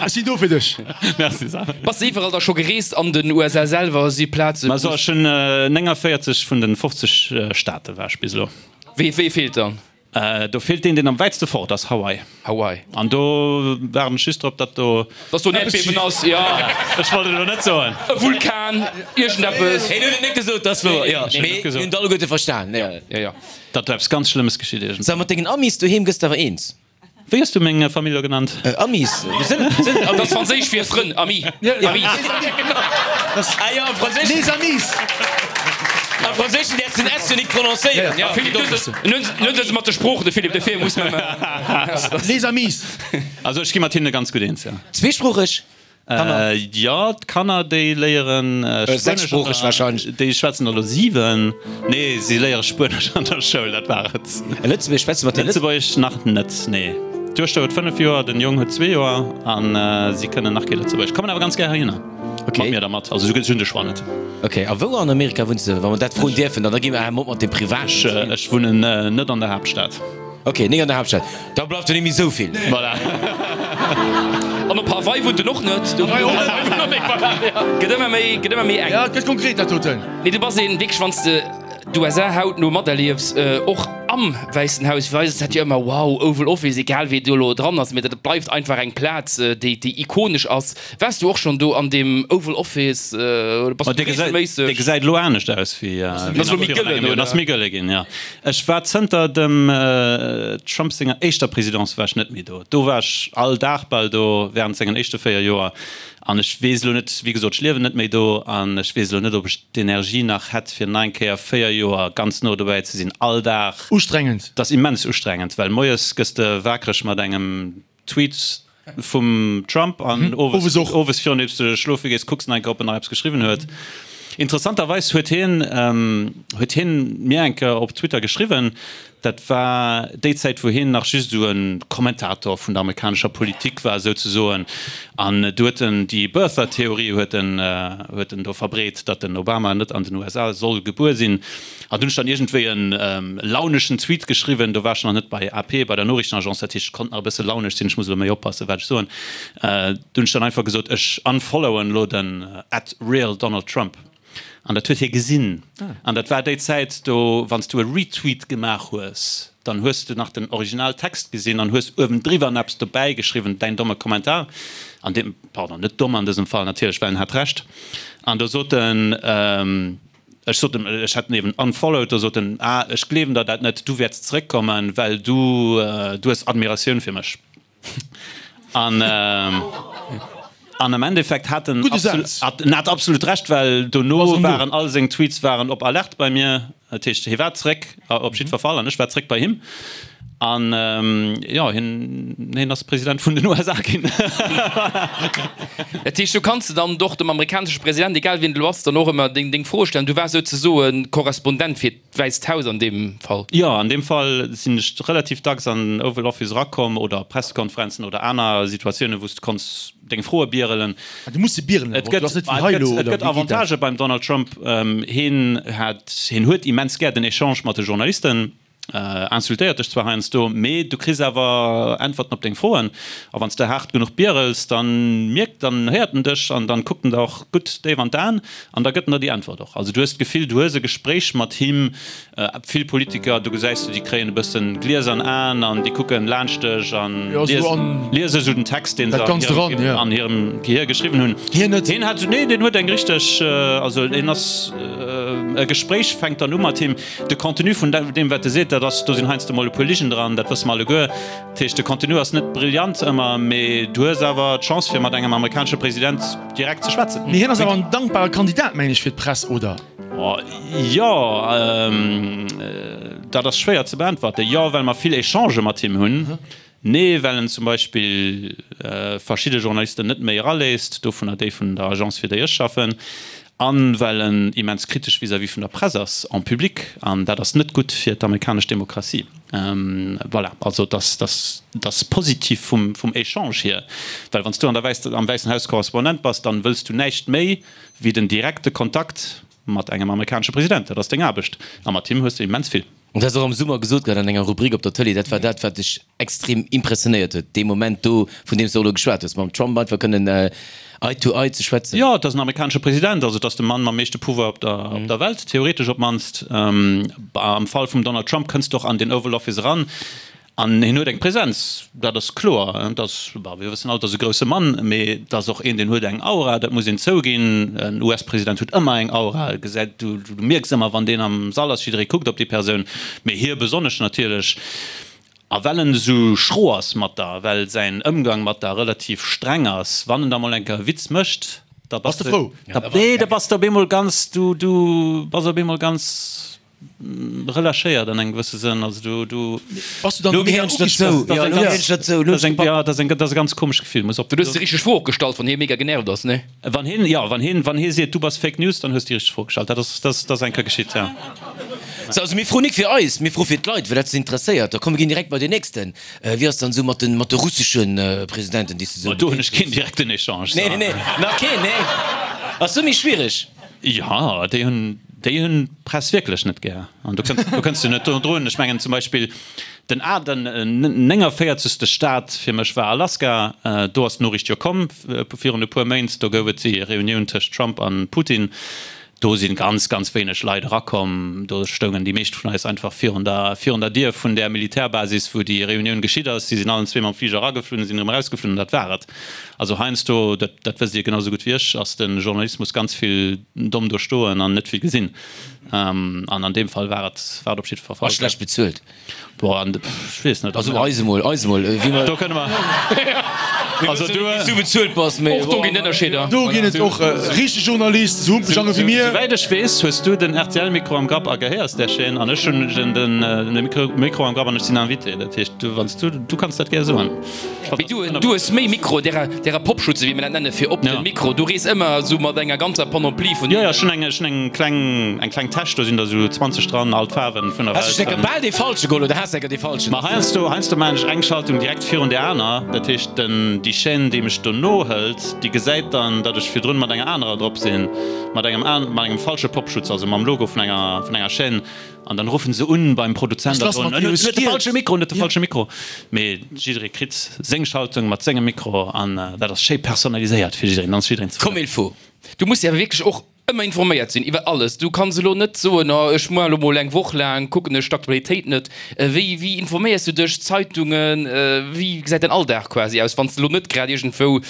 Ech sinn do fir dech. Merci, Sam. Bass de iwwerall da scho gereest an den USA selwer? Si Plazen, wou. Also, ech hunn 49 vun den 50 Staate war ech bis elo. Wee, wee feelt dann? Do feelt deen, deen am wäitste fort ass, Hawaii. Hawaii. An do waarden ech just drop, datt do. Datt do en Äerdbiewen ass, jo. Ech wollt et elo net soen. E Vulkan, iergendeppes. Hien huet et net gesot, dat ass wouer, jo. Mee mir hunn et alleguerte verstan, jo. Jo, jo. Datt do eppes ganz Schlëmmes geschitt iergendwann. Sag, mat dengen Amis doheem gëss de awer eens? Wéi hues du meng Famill elo genannt? Amis. Dat ass franséisch fir Frënn, Ami. Amis. Ah jo, am Franséischen. Les amis. Am Franséischen däerfs de den S jo nik prononcéieren. Ja, Philippe, du hues et mat de Sproochen, de Philippe, dofir muss mer. Les amis. Also ech gi mat hinne ganz gutt eens, jo. Zweesproocheg? Kanner? Jo, d'Kanner déi léieren Spuenesch. Sechssproocheg wahrscheinlech. Déi schwätzen elo 7. Nee, si léiere Spuenesch an der Schoul, dat war et. Lëtzebuergesch schwätze mat den. Lëtzebuergesch nach net, nee. D'Duechter huet 5 Joer, den Jong huet 2 Joer a si kënnen nach kee Lëtzebuergesch. Kommen awer ganz gär heihinner. Mat mir dermat. Also ech hunn de Choix net. Ok, a wou an Amerika wunns de, wa mer dat froen dierfen? Dann da gi mer awer mat dem Privaten. Ech wunnen net an der Haaptstad. Ok, nik an der Haaptstad. Da bleift jo net méi esou vill. Voilà. An op Hawaii wunnt en och net. Gëtt ëmmer méi, gëtt ëmmer méi enk. Ja, et gëtt konkret dat doten. Nee, du bass een wierklech, wann s de d'USA hautno materliefs, och am Wäissen Haus, wéi eis dat jo ëmmer, wow, Oval Office, egal wéi do elo dran ass, mee dat bleift einfach eng Plaz, déi, déi ikonesch ass. Waars du och schonn do an deem Oval Office oder bass du reegelméisseg? Dee gesäit elo anescht aus wéi ass elo méi gëllen, oder? Ass méi gëlle ginn, jo. Ech war zënter dem Trump senger éischter Presidence war ech net méi do. Do war ech all Dag bal do während sengen éischte 4 Joer. An ech weess elo net, wéi gesot, ech liewen net méi do an ech weess elo net, ob ech d'Energie nach hätt fir nach eng Kéier 4 Joer ganz no dobäi ze sinn, all Dag. Ustrengend. Dat ass immens ustrengend, well moies gëss de wakereg mat engem Tweet vum Trump an owes owes virun deems de schlofe gees kucks nach eng Kéier ob en nach eppes geschriwwen huet. Interessanterweis huet hien huet hien mir eng Kéier op Twitter geschriwwen, dat war déi Zäit wou hien nach just esou e Kommentator vun der amerikanescher Politik war souzesoen an du huet en déi Birther-Theorie huet en huet en do verbreet, datt den Obama net an den USA soll gebuer sinn. An dunn hunn ech dann iergendwéi e launeschen Tweet geschriwwen, do war ech nach net bei AP, bei der Noriichtenagence, dat heescht, ech konnt nach e bësse launesch sinn, ech muss elo méi oppassen, wat ech soen. Du hunn ech dann einfach gesot, ech unfollowen elo den at realDonaldTrump. An dat huet hie gesinn. An dat war déi Zäit, do, wann s du e Retweet gemaach hues, dann hues du nach den Originaltext gesinn an hues uewendriwwer nach eppes dobäi geschriwwen, däin domme Kommentar. An deem, pardon, net domm an dësem Fall natierlech, well en hat Recht. An do sot en, Ech sot em, ech hätt en eben unfollowed, do sot en, ah, ech gleewen der dat net, du wäerts zeréckkommen, well du, du hues Admiratioun fir mech. An, an am Endeffekt hat en Gudde Saz. en hat absolut Recht, well dono waren all seng Tweets waren op Alerte bei mir, dat heescht, hie war zeréck op jiddwer Fall an ech war zeréck bei him. An jo, hien, hien ass President vun den USA ginn. Dat heescht, do kanns de dann och dem amerikanesche President, egal wien et elo ass, dann och ëmmer deng, deng Froe stellen. Du waars souzesoe Korrespondent fir d'Wäisst Haus an deem Fall. Jo, an deem Fall sinn ech relativ dacks an den Oval Office erakomm oder op Pressekonferenzen oder aner Situatiounen, wou s de konns deng Froe bierelen. Ah, du muss se bierelen awer och, du ass net wéi hei elo, oder wéi geet dat? Et gëtt Avantagë beim Donald Trump. Hien hat, hien huet immens gär den Echange mat de Journalisten. Insultéiert dech zwar heiansdo, mee du kriss awer Äntwerten op deng Froen. A wann s de haart genuch bierels, dann mierkt, dann héiert en dech an dann kuckt en der och gutt déif an d'Aen an da gëtt en der déi Äntwert och. Also du hues d'Gefill, du hues e Gespréich mat him. Vill Politiker, do gesäis du, déi kréien e bëssen gliesern Aen an déi kucken laanscht dech an liese sou den Text, deen se an hirem Gehier geschriwwen hunn. Hien net? Hien hat, nee, deen huet eng richteg, also hien ass, e Gespréich fänkt dann u mat him. De Contenu vun deem, wat e seet, dat ass, do sinn heiansdo mol e puer Ligen dran, dat wësse mer alleguer. Dat heescht, de Contenu ass net brillant ëmmer, mee du hues awer d'Chance, fir mat engem amerikanesche President direkt ze schwätzen. Mee hien ass awer en dankbare Kandidat, mengen ech, fir d'Press, oder? Jo, dat ass schwéier ze beäntwerten. Jo, well mer vill Echangë mat him hunn. Nee, well en zum Beispill verschidde Journalisten net méi eraléisst, dovunner déi vun der Agence fir déi ech schaffen, a well en immens kritesch vis-à-vis vun der Press ass en public, an dat ass net gutt fir d'amerikanesch Demokratie. Voilà, also et ass, et ass positiv vum, vum Echange hier, well wann s du an der Wäiss, am Wäissen Haus Korrespondent bass, dann wëlls du näischt méi wéi den direkte Kontakt mat engem amerikanesche President. Dat ass deng Aarbecht, a mat him hues de immens vill. Dat hues de och am Summer gesot gehat an enger Rubrik op der Tëlee. Dat war dat, wat dech extrem impressionéiert huet, dee Moment do, vun deem s de och elo geschwat hues, mam Trump einfach kënnen eye to eye ze schwätzen. Jo, et ass en amerikanesche President, also et ass de Mann mam meeschte Pouvoir op der, op der Welt, theoretesch op d'mannst. Am Fall vum Donald Trump kënns de och an den Oval Office eran An hien huet eng Präsenz, dat ass kloer. Et ass, bon, mir wëssen all, et ass e grousse Mann, mee et ass och een, deen huet eng Aura, dat muss een zouginn. En US-President huet ëmmer eng Aura, e gesäit, du, du mierks ëmmer, wann deen am Sall ass, jidderee kuckt op déi Persoun, mee hie besonnesch natierlech. A well en esou schro ass mat der, well säin Ëmgang mat der relativ streng ass, wann en da mol eng Kéier e Witz mécht, da bass de frou. Nee, da bass de op eemol ganz, du, du bass op eemol ganz. Relâchéiert an engem gewësse Sënn, also du, du. Bass du dann Lo gehéieren ech dozou, jo, lo gehéieren ech dozou, lo hunn ech Ja, dat ass eng, dat ass e ganz komescht Gefill, muss op. Du hues déi richteg Fro och gestallt, wann hie mega genervt ass, ne? Wann hien, jo, wann hien, wann hie seet, du bass Fake News, dann hues de déi richteg Fro gestallt. Dat ass, dat ass, dat ass eng Kéier geschitt, ja. Sou, also mir froen nik fir eis, mir froe fir d'Leit, well dat se interesséiert. Da komm, mir ginn direkt bei deen nächsten. Wéi ass dann esou mat den, mat de russesche Presidenten, déi s de sou. Do hunn ech keen direkten Echange. Nee, nee, nach keen, nee. Ass do méi schwiereg? Jo, déi hunn, déi hunn d'Press wierklech net gär. An do kënns, do kënns du net drun. Ech mengen zum Beispill den A, den 49. Staat fir mech war Alaska. Do ass d'Noriicht jo komm virun e puer Méint. Do gouf et déi Reunioun tëscht Trump an Putin. Do si ganz, ganz wéineg Leit erakomm. Do stoungen déi meescht vun eis einfach virun der, virun der Dier vun där Militärbasis, wou déi Reunioun geschitt ass. Si sinn allen zwee mam Fliger erageflunn, sinn erëm erausgeflunn an dat war et. Also heiansdo, dat, dat wësst Dir genau sou gutt wéi ech, ass de Journalismus ganz vill domm do stoen an net vill gesinn. An an deem Fall war et, war et op jiddwer Fall. A schlecht bezuelt. Boah, an ech weess net. Also eis emol, eis emol, wéi mer. Do kënne mer. Also du. Wéi s du bezuelt bass, mee. Och do ginn Ënnerscheeder. Do ginn et och richteg Journalisten, esou humpeg an ewéi mir. Souwäit ech weess, hues du den RTL-Mikro am Grapp a gehéiers där Chaîne an ech hunn den Mikro am Grapp an ech sinn Invité. Dat heescht, du, wann s du, du kanns dat gär soen. Mee du, du hues méi Mikro, därer, därer Popschutze, wéi mir dat nennen, fir op de Mikro. Du rees ëmmer esou mat enger ganzer Panoplie vun. Jo, jo, ech hunn eng, ech hunn eng kleng, eng kleng Täsch, do sinn der esou 20 dran, all d'Faarwen vun der Welt. Has du enker bal dee falsche geholl oder has enker dee falschen? Ma heiansdo, heiansdo maachen ech eng Schaltung direkt virun där aner. Dat heescht, den, déi Chaîne, déi mech dono hëlt, déi gesäit dann, datt ech virdrun mat enger anerer drop sinn, mat engem an, mat engem falsche Popschutz, also mam Logo vun enger, vun enger Chaîne. An dann ruffen se un beim Produzent a soen, en huet de falsche Mikro, en huet de falsche Mikro. Mee jidderee kritt seng Schaltung mat sengem Mikro an dat ass schéi personaliséiert fir jiddereen, dann ass jiddereen zefridden. Comme il faut. Du muss jo awer wierklech och ëmmer informéiert sinn iwwer alles. Du kanns elo net soen, oh ech moar elo mol eng Woch laang kucken ech d'Aktualitéit net. Wéi, wéi informéiers du dech? Zeitungen? Wéi gesäit däin Alldag quasi aus, wann s de elo net grad iergendwou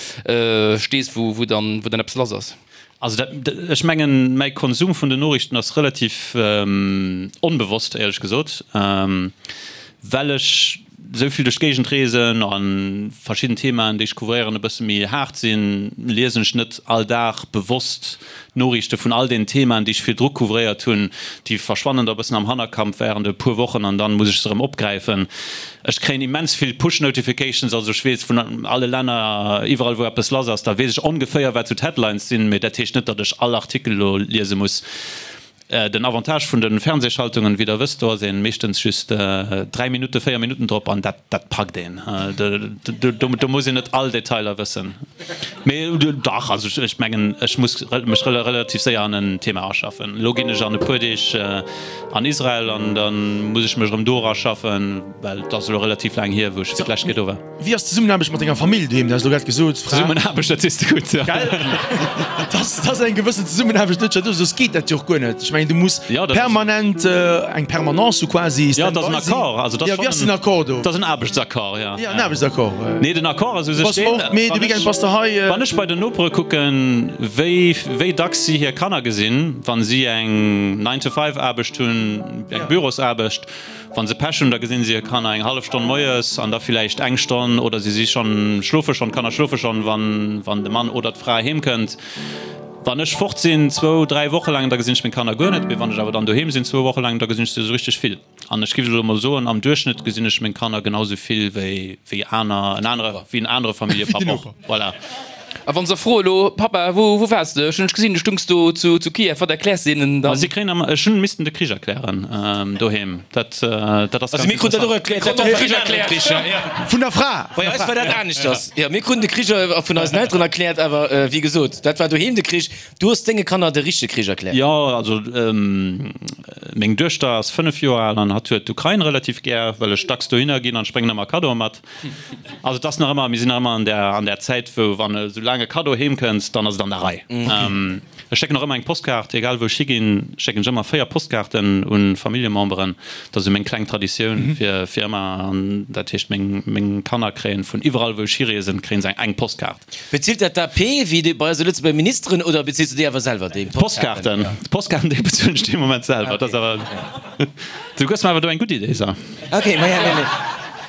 stees, wou, wou dann, wou dann eppes lass ass? Also dat, ech mengen, mäi Konsum vun den Noriichten ass relativ onbewosst, éierlech gesot, well ech esou vill duerch d'Géigend reesen a verschidden Themaen, déi ech couvréieren, e bësse méi haart sinn, liesen ech net all Dag bewosst d'Noriichte vun all den Themaen, déi ech virdru couvréiert hunn. Déi verschwannen da e bëssen am Hannerkampf während e puer Wochen an dann muss ech se erëm opgräifen. Ech kréien immens vill Push Notifications, also ech weess vun alle Länner, iwwerall wou eppes lass ass, da weess ech ongeféier wat sou d'Headlines sinn, mee dat heescht net, datt ech all Artikel elo liese muss. Den Avantage vun de Fernsehschaltungen, wéi der wësst, do ass een meeschtens just 3 Minutten, 4 Minutten drop an dat dat packt een. Do muss een net all Detailer wëssen. Mee dach, also ech mengen ech muss mech relativ séier an en Thema aschaffen. Elo ginn ech an e puer Deeg an Israel an da muss ech mech erëm do eraschaffen, well et ass elo relativ laang hier, wou ech fir d'lescht Kéier do war. Wéi ass d'Zesummenaarbecht mat denger Famill doheem? Du has elo grad gesot, Fra. Zesummenaarbecht, dat sees de gutt, jo. Gell? Dass, dass eng gewëssen Zesummenaarbecht net scho, soss geet dat jo och guer net. Ech mengen, du muss permanent eng Permanence hu quasi, Jo, et ass en Accord. Also, dat ass schonn. Wéi ass den Accord do? Dat ass en Aarbechtsaccord, jo. Jo, en Aarbechtsaccord. Nee, den Accord ass u sech deen, Mee de Weekend bass de hei. Wann ech bei den Nopere kucken, wéi, wéi dacks si hir Kanner gesinn, wa si eng Nine-to-five-Aarbecht hunn, eng Bürosaarbecht, Wa se Pech hunn, da gesinn se hir Kanner eng hallef Stonn moies an da villäicht eng Stonn oder si si schonn, schlofe schonn, d'Kanner schlofe schonn, wann, wann de Mann oder d'Fra heem kënnt. Wann ech fort sinn, zwou, dräi Woche laang, da gesinn ech meng Kanner guer net. Mee wann ech awer dann doheem sinn, zwou Woche laang, da gesinn ech se esou richteg vill. An ech géif elo mol soen, am Duerchschnëtt gesinn ech meng Kanner genau sou vill wéi, wéi aner, en anere, wéi en anere Familljepapp och. Voilà. A wann se froe lo, Papa, wou wou waars de? Ech hunn dech gesinn, du stungs do zu zu Kiew. Wat erkläers de hinnen dann? Si kréien ëmmer, ech hunn missten de Krich erklären doheem. Dat dat ass Also mir kruten dat och erkläert. Dat de Krich erkläert. Vun der Fra. Bei eis war dat aneschters. Jo, mir kruten de Krich vun eisen Elteren erkläert, awer wéi gesot, dat war doheem de Krich. Du hues denge Kanner de richtege Krich erkläert. Jo, also meng Duechter ass 5 Joer al an hatt huet d'Ukrain relativ gär, well ech dacks dohinner ginn an ech bréngen ëmmer Kaddoe mat. Also et ass nach ëmmer, mir sinn nach ëmmer an där, an där Zäit, wou wann esou laang e Kaddo heem kënnt, dann ass et an der Rei. Ech schécken och ëmmer eng Postkaart, egal wou ech higinn, schécken ech ëmmer 4 Postkaarten u Familljememberen. Dat ass esou meng kleng Traditioun fir, fir ëmmer, an dat heescht meng, meng Kanner kréien vun iwwerall wou ech hireesen, kréien se eng Postkaart. Bezilt dat d'AP, wéi déi bei eise Lëtzebuerger Ministeren, oder bezills du déi awer selwer, déi Postkaarten? D'Postkaarten, déi bezuelen ech dee Moment selwer. Dat ass awer, du gëss mer awer do eng gutt Idee, Sa. Ok, ma ja, nee, nee.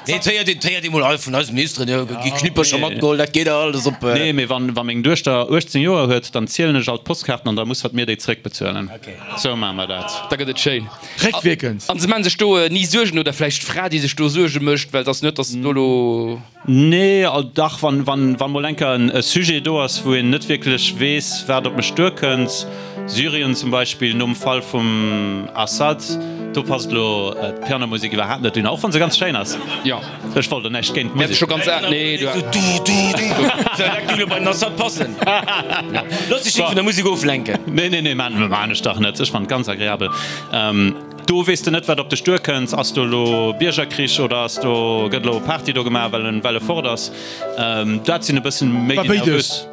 Nee, et héiert een, et héiert ee mol, hei vun eise Ministeren, jo, gi Knippercher matgeholl, dat geet alles op. Nee, mee wann, wa meng Duechter 18 Joer huet, dann zielen ech all d'Postkaarten an da muss hatt mir déi zréckbezuelen. Sou maache mer dat. Da gëtt et schéin. Réckwierkend. An se maache sech do ni Suergen, oder vläicht d'Fra, déi sech do Suerge mécht, well et ass net, datt do elo. Nee, dach, wann, wann, wann mol eng Kéier e Sujet do ass, wou een net wierklech weess, wat op mech duerkënnt, Syrien zum Beispill nom Fall vum Assad, do passt elo d'Pianomusek iwwerhaapt net dunner, och wann se ganz schéin ass. Jo. Ech wollt elo näischt géint d'Musek. Scho ganz al, nee, du. Dat géing elo bei den Assad passen. Looss dech net vun der Musek oflenken. Nee, nee, nee, maan, maan ech dach net. Ech fannen et ganz agreabel. Do weess de net, wat op dech duerkënnt. Ass do elo Biergerkrich oder ass do, gëtt elo Party do gemaach, well en, well e fort ass? Dat sinn e bëssen méi déi nervös,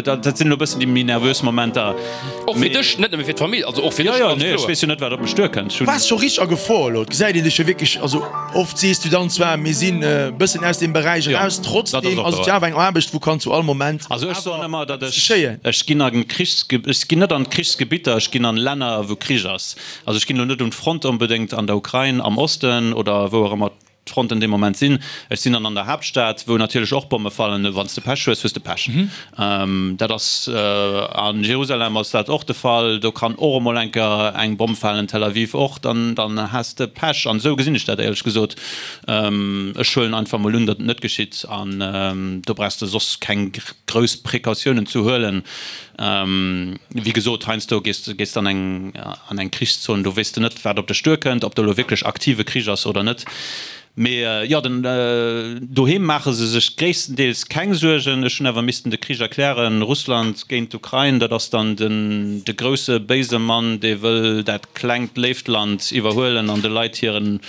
dat sinn elo e bëssen déi méi nervös Momenter. Och fir dech, net nëmme fir d'Famill, also och fir dech, ganz kloer. Jo, jo, nee, ech weess jo net, wat op mech duerkënnt. Du waars scho richteg a Gefor elo. Et gesäit een dech jo wierklech, also oft sees du dann zwar, mir sinn e bëssen aus deem Beräich eraus, trotzdem ass et jo awer eng Aarbecht, wou kann zu all Moment Also ech soen ëmmer, datt ech, ech ginn a Krichs, ech ginn net an d'Krichsgebitter, ech ginn an Länner, wou Krich ass. Also ech ginn elo net un d'Front onbedéngt an der Ukrain, am Osten oder wou och ëmmer d'Fronten dee Moment sinn. Ech sinn dann an der Haaptstad, wou natierlech och Bomme fallen. Wann s de Pech hues, hues de Pech. Dat ass a Jerusalem ass dat och de Fall. Do kann och emol eng Kéier eng Bomm falen, Tel Aviv och. Dann, dann has de Pech. An esou gesinn ech dat éierlech gesot. Ech huelen einfach emol un, datt et net geschitt. An do brauchs de soss keng grouss Precautiounen ze huelen. Wéi gesot, heiansdo gees de gees an eng an eng Krichszon, do weess de net, wat op dech duerkënnt, ob do elo wierklech aktive Krich ass oder net. Mee jo, den doheem maache se sech gréisstendeels keng Suergen. Ech hunn awer missten de Krich erklären, Russland géint d'Ukrain, dat ass dann den de grousse béise Mann, dee wëll dat klengt léift Land iwwerhuelen an de Leit hiren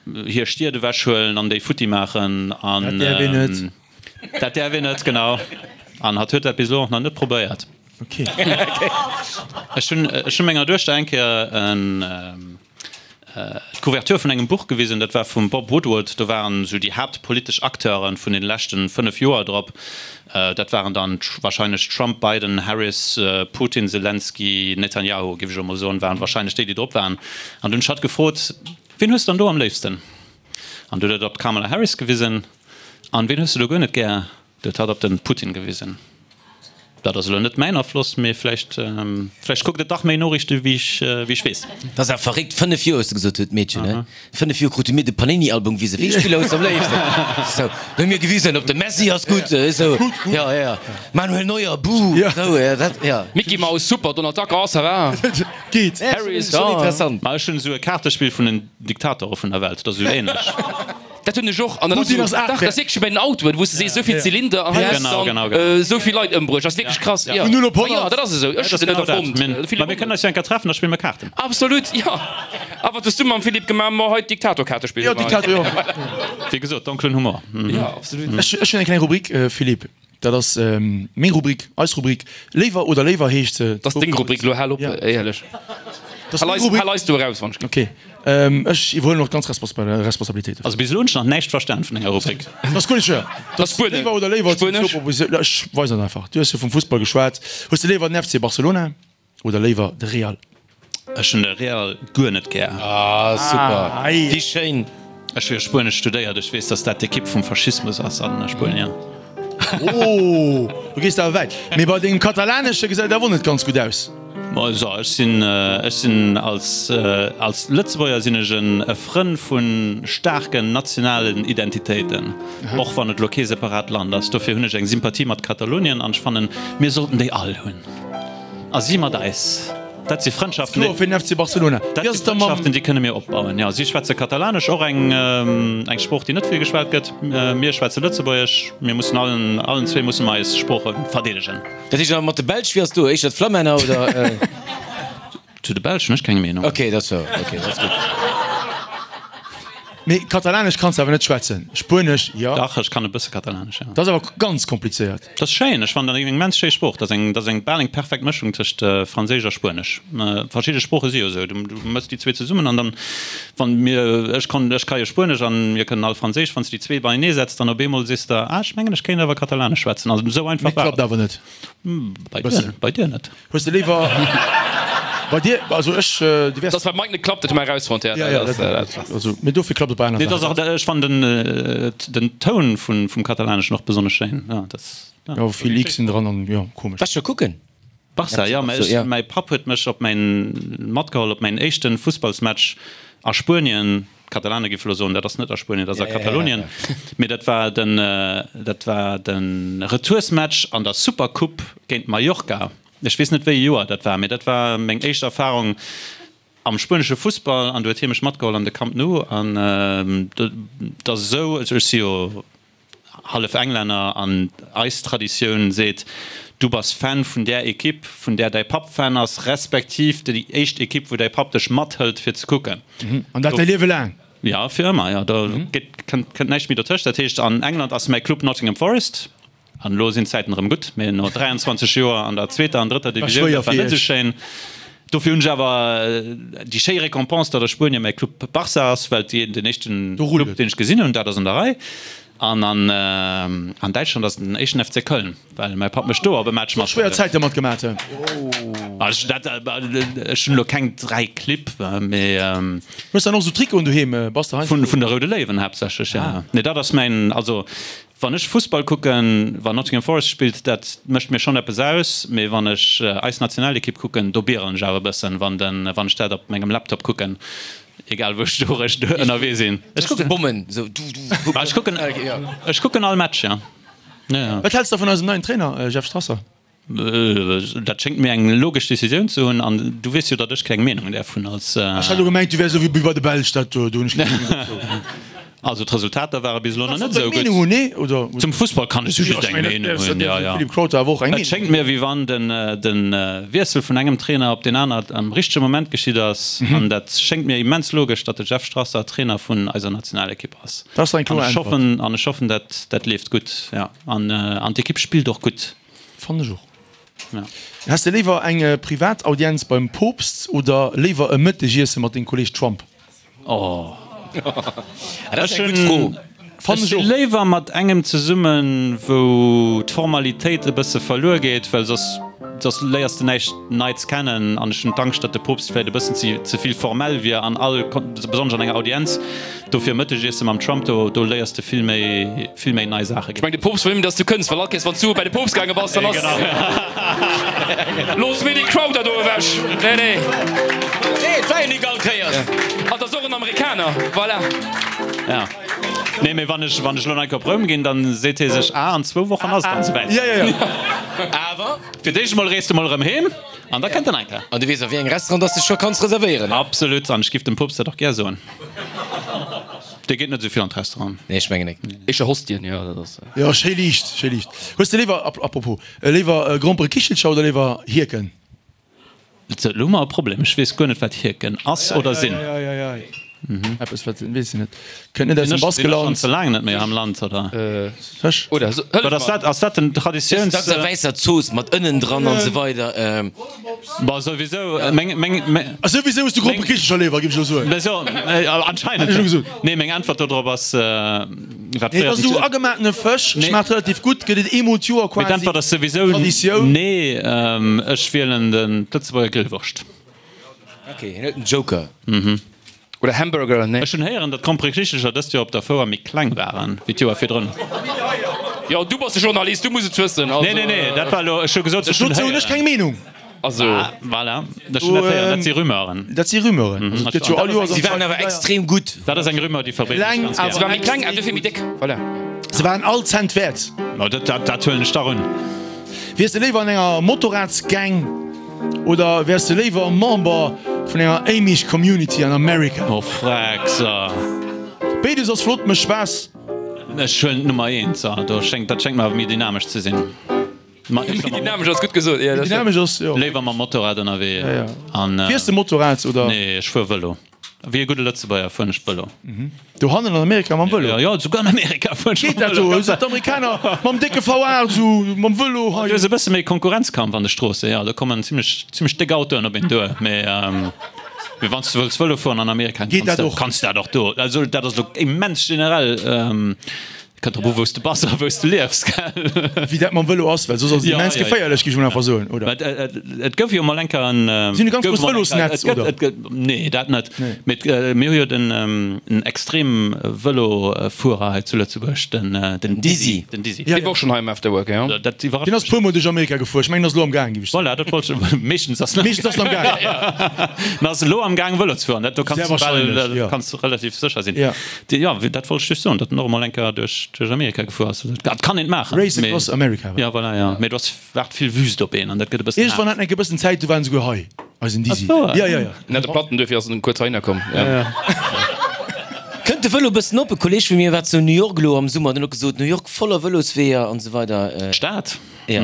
hir Stied ewechhuelen an déi futti maachen. An Dat däerf een net. Dat däerf een net, genau. An hatt huet dat bis elo och nach net probéiert. Okay. Ech hunn, ech hunn menger Duechter eng Kéier en, d'Couverture vun engem Buch gewisen, dat war vum Bob Woodward. Do waren esou déi haaptpolitesch Acteure vun den leschten 5 Joer drop. Dat waren dann wahrscheinlech Trump, Biden, Harris, Putin, Zelensky, Netanyahu, géif ech elo mol soen, waren wahrscheinlech déi, déi drop waren. An dunn hunn ech hatt gefrot, Wien hues de dann do am léifsten? An du huet et op d'Kamala Harris gewisen. An wien hues de do guer net gär? Du huet hatt op den Putin gewisen. Dat ass elo net mäin Afloss, mee vläicht, vläicht kuckt et dach méi Noriichte wéi ech, wéi ech weess. Dat ass awer verréckt, 5 Joer hues de gesot huet d'Meedchen, ne? 5 Joer krute mir de Panini-Album gewisen, wéi ee Spiller hues de am léifsten? Sou, do hu mir gewisen, op de Messi ass gutt, esou, jo, jo, Manuel Neuer, buh, esou, jo, dat, jo. Micky Maus super, Donald Duck, oh, ça va. Geet. Harry Ass schonn interessant. Ma ech hunn esou e Kaartespill vun den Diktatore vun der Welt, dat ass esou ähnlech. Dat hunn ech och. An dat ass Putin ass esou, dach, dat ass wierklech wéi bei den Autoen, wou s de sees, esou vill Zylinder an hei hues de dann esou vill Leit ëmbruecht. Dat ass wierklech krass, jo. Vun 0 op 100. Jo, dat ass esou. Ech hunn se net erfonnt. Ma mir kënnen eis jo eng Kéier treffen, da spille mer Kaarten. Absolut, jo. A wat hues du mam Philippe gemaach? Ma hei d'Diktatorkaarte spillen. Jo, Diktator, jo. Wéi gesot, donkelen Humor. Jo, absolut. Ech hunn eng kleng Rubrik, Philippe. Dat ass meng Rubrik, eis Rubrik. Léiwer oder léiwer heescht se. Dat ass deng Rubrik elo, hal op, éierlech. Hal eis do eraus, wann ech. Ok, ech iwwerhuelen och d'ganz Responsabilitéit dofir. Also bis elo hunn ech nach näischt verstan vun denger Rubrik. Dat ass guer net schwéier. Dat ass Léiwer oder léiwer. Spuenesch. Ech weisen et einfach. Du hues jo vum Fussball geschwat. Hues de léiwer den FC Barcelona Oder léiwer de Real? Ech hunn de Real guer net gär. Ah super, wéi schéin! Ech hu jo Spuenesch studéiert, ech weess, dass dat d'Ekipp vum Faschismus ass a Spuenien. Oh, do gees de awer wäit. Mee bei dengem Katalanesche gesäit awer och net ganz gutt aus. Bon, also ech sinn, ech sinn als, als Lëtzebuerger sinn ech en e Frënn vu staarken nationalen Identitéiten, och wann et elo kee separat Land ass. Dofir hunn ech eng Sympathie mat Katalonien an ech fannen, mir sollten déi all hunn. A si mat eis. Dat si Frëndschaften, Kloer fir den FC Barcelona. Dat si Frëndschaften, déi kënne mir opbauen. Jo, si schwätze Katalanesch, och eng eng Sprooch, déi net vill geschwat gëtt. Mir schwätze Lëtzebuergesch. Mir mussen allen, allen zwee musse mer eis Sprooche verdeedegen. Dat heescht awer mat de Belsch, wéi ass do? Éischter d'Flammänner oder? Zu de Belsch hunn ech keng Meenung. Ok, dat ass ok, dat ass gutt. Mee Katalanesch kanns de awer net schwätzen? Spuenesch, jo. Dach, ech kann e bësse Katalanesch, jo. Dat ass awer ganz komplizéiert. Dat ass schéin, ech fannen dat eng immens schéi Sprooch. Dat ass eng, dat ass eng bal eng perfekt Mëschung tëscht Franséisch a Spuenesch. Verschidde Sprooche si jo esou, du mëss déi zwee zesummen an dann, wann mir, ech konnt, ech ka jo Spuenesch an mir kënnen all Franséisch, wann s de déi zwee beienee setz, dann op eemol sees de, ah, ech mengen ech kéint awer Katalanesch schwätzen. Also esou einfach war et. Mee klappt awer net. Bei dir, bei dir net. Hues de léiwer bei dir, also ech, du wäers. Dass beim Mike net klappt, dat hu mer erausfonnt, ja. Ja, ja, dat, also, mee dofir klappt et bei anere Saachen. Nee, ech fannen den, den Toun vun, vum Katalaneschen och besonnesch schéin, ja, dat. Jo, vill Xen dran an, jo, komesch. Waars scho kucken? Barca, jo, mä ech, mäi Papp huet mech op mäin, matgeholl op mäin éischten Fussballsmatch a Spuenien. D'Katalane géife elo soen, dat ass net a Spuenien, dat ass a Katalonien. Mee dat war den, dat war de Retoursmatch an der Supercoupe géint Mallorca. Ech weess net, wéi ee Joer dat war, mee dat war meng éischt Erfarung am spuenesche Fussball. An du huet hie mech matgeholl an de Camp Nou. An dat ass esou, ech si jo hallef Englänner an eis Traditioun seet, du bass Fan vun där Ekipp, vun där däi Papp Fan ass, respektiv déi éischt Ekipp, wou däi Papp dech mathëlt fir ze kucken. An dat däi Liewe laang? Jo, fir ëmmer, jo. Do kënnt näischt méi dotëscht. Dat heescht, an England ass mäi Club Nottingham Forest. An elo sinn d'Zäiten erëm gutt, mee no 23 Joer an der zweeter an drëtter Divisioun, dat war net esou schéin. Dofir hunn ech awer déi schéi Récompense, datt a Spuenien mäi Club Barça ass, well et den éischten Club, deen ech gesinn hunn, dat ass an der Rei. An an Däitschland ass et den éischten FC Köln, well mäi Papp mech do op e Match mat. Schwéier Zäite mat gemaat hunn. Ech hunn elo keng 3 Clibb, mee. Hues dann och esou Trikoten doheem? Bass de heiansdo. Vun der Roude Léiwen haaptsächlech, jo. Nee, dat ass mäin, also Wann ech Fussball kucken, wann Nottingham Forest spillt, dat mécht mir schonn eppes aus, mee wann ech eis Nationalekipp kucken, do bierelen ech awer e bëssen, wann den, wann ech dat op mengem Laptop kucken, egal wou ech do ënnerwee sinn. Ech kucken Bommen esou du du. Ech kucken, ech kucken all Match, jo. Wat häls de vun eisem neien Trainer Jeff Strasser? Dat schéngt mir eng logesch Decisioun ze hunn, an du weess jo, datt ech keng Meenung däerf hunn als. Ech hat elo gemengt, du wäers esou wéi bei de Belsch, dat do hunn ech keng Meenung dozou. Also d'Resultater ware bis elo nach net esou gutt. Zum Fussball kann ech just eng Meenung hunn, jo, jo. Et schéngt mir, wéi wann de Wiessel vun engem Trainer op deen aner am richtege Moment geschitt ass, an dat schéngt mir immens logesch, datt de Jeff Strasser Trainer vun eiser Nationalekipp ass. An ech hoffen, an ech hoffen, dat dat leeft gutt, jo. An d'Ekipp spillt och gutt. Fannen ech och. Ja. Häss de léiwer eng privat Audienz beim Poopst oder léiwer e Mëttegiesse mat dengem Kolleg Trump? Oh. Dat ass eng gutt Fro. Ech si léiwer mat engem zesummen, wou d'Formalitéit e bësse verluer geet, well soss, soss léiers de näischt Neits kennen. An ech hunn d'Angscht, datt de Poopst vläicht e bëssen ze, ze vill formell wier an all, besonnesch an enger Audienz. Dofir Mëttegiesse mam Trump, do, do léiers de vill méi, vill méi nei Saache. Ech mengen de Poopst wëll nëmmen dass du kënns, well all Kéiers wanns du bei de Poopst gaange bass, dann ass Looss mir dee Crowder do ewech! Nee, nee. Nee, et war jo nik all Kéiers. An et ass och en Amerikaner, voilà. Ja. Nee, mee wann ech, wann ech elo nach eng Kéier op Roum ginn, dann seet hie sech, ah, an zwou Wochen ass et dann souwäit. Ja, ja, ja. Awer. Fir d'éischt emol rees de mol erëm heem an da kënnt en eng Kéier. An du weess a wéi engem Restaurant dass de scho kanns reservéieren. Absolut, an ech giff dem Poopst dat och gär soen. Dee geet net esou vill an d'Restauranten. Nee, ech mengen nek. Éischter Hostien, jo, dat ass. Jo, schéi liicht, schéi liicht. Hues de léiwer, apropos, léiwer Gromperekichelcher oder léiwer Hierken? Sou, elo hu mer e Problem. Ech weess guer net, wat Hierken ass oder sinn. Eieieiei. Eppes, wat, weess ech net. Kënnt net aus dem Baskeland. Sinn ech schonn ze laang net méi am Land, oder? Fësch. Oder, hëllef mer. Ass dat, ass dat den Traditiouns. Dat ass eng wäisser Zooss mat Ënnen dran an esou weider. Bon, souwisou, meng, meng, meng. A souwisou hues du Gromperekichelcher léiwer, géif ech elo soen. Mä so, anscheinend. Hätt ech elo gesot. Nee, meng Äntwert dodrop ass, wat Nee, et ass esou agematene Fësch, schmaacht relativ gutt, gëtt et eemol d'Joer quasi. Mee d'Äntwert ass souwisou Traditioun. Nee, ech wielen den d'Lëtzebuerger Grillwurscht. Ok, hien huet den Joker. Oder Hamburger, nee. Ech hunn héieren, datt d'Gromperekichelcher dëst Joer op der Fouer méi kleng waren wéi d'Joer virdrun. Jo, du bass de Journalist, du muss et wëssen. Nee, nee, nee, dat war elo, ech hu gesot, ech hunn héieren. Dozou hunn ech keng Meenung. Also. Ah, voilà, ech hunn dat héieren, dat si Rumeuren. Dat si Rumeuren. Also, et gëtt jo all Joer. Si waren awer extrem gutt. Dat ass eng Rumeur, déi verbreet ech ganz gär. Se waren méi kleng an dofir méi déck, voilà. Se waren all Cent wäert. No, dat, dat, dat huelen ech dach un. Wiers de léiwer an enger Motorradsgang oder wäers de léiwer Member vun enger Amish Community an Amerika? Oh Freckser. Béides ass flott, mécht Spaass. Ech huelen d'Nummer eent, do schéngt, dat schéngt mer awer méi dynamesch ze sinn. Méi dynamesch ass gutt gesot, jo. Méi dynamesch ass, jo. Léiwer mam Motorrad ënnerwee an. Fiers de Motorrad oder? Nee, ech fuer Vëlo. Wéi e gudde Lëtzebuerger fueren ech Vëlo. Dohannen an Amerika mam Vëlo? Jo, jo, souguer an Amerika fueren ech mam Vëlo. Geet dat do? Sinn d'Amerikaner mam décke V8 esou mam Vëlo hei? Do ass e bësse méi Konkurrenzkampf an de Stroossen, jo. Do kommen zimlech, zimlech déck Autoen op een duer. Mee, mee wann s de wëlls Vëlo fueren an Amerika, Geet dat och? kanns de dat och do. Also dat ass elo immens generell. Kënnt drop u wou s de bass a wou s de liefs, gell? Wéi dat mam Vëlo ass, well soss ass et immens geféierlech, géif ech mol einfach soen, oder? Et gouf jo mol eng Kéier en. Si hunn e ganz grousst Vëlosnetz, oder? Nee, dat net. Mee mir hu jo den en extrem Vëlofuerer hei zu Lëtzebuerg, den Dizzy. Den Dizzy. Dee war och schonn hei am Afterwork, jo. Dat iwwerrascht. Deen ass puer Mol duerch Amerika gefuer. Ech mengen, en ass elo am Gaang, géif ech soen. Voilà, dat wollt ech. Meeschtens ass en. Meeschtens ass en am Gaang. En ass elo am Gaang Vëlo ze fueren, dat do kanns de bal, kanns de relativ sécher sinn. Jo, dat wollt ech just soen, datt en och emol eng Kéier duerch Amerika gefuer ass. Dat kann een maachen. Race across America. Jo, voilà, jo. Mee do ass waart vill Wüst op een an dat gëtt e bëssen haart. Iergendwann hat en eng Kéier e bëssen Zäit, do war en esouguer hei, eisen Dizzy. Jo, jo, jo. En hat e Platten, duerfir ass en kuerz heihinner komm. Jo. Kënnt de Vëlo e bëssen op? E Kolleeg vu mir war zu New York elo am Summer, den huet gesot, New York voller Vëlosweeër an esou weider. D'Stad? Jo.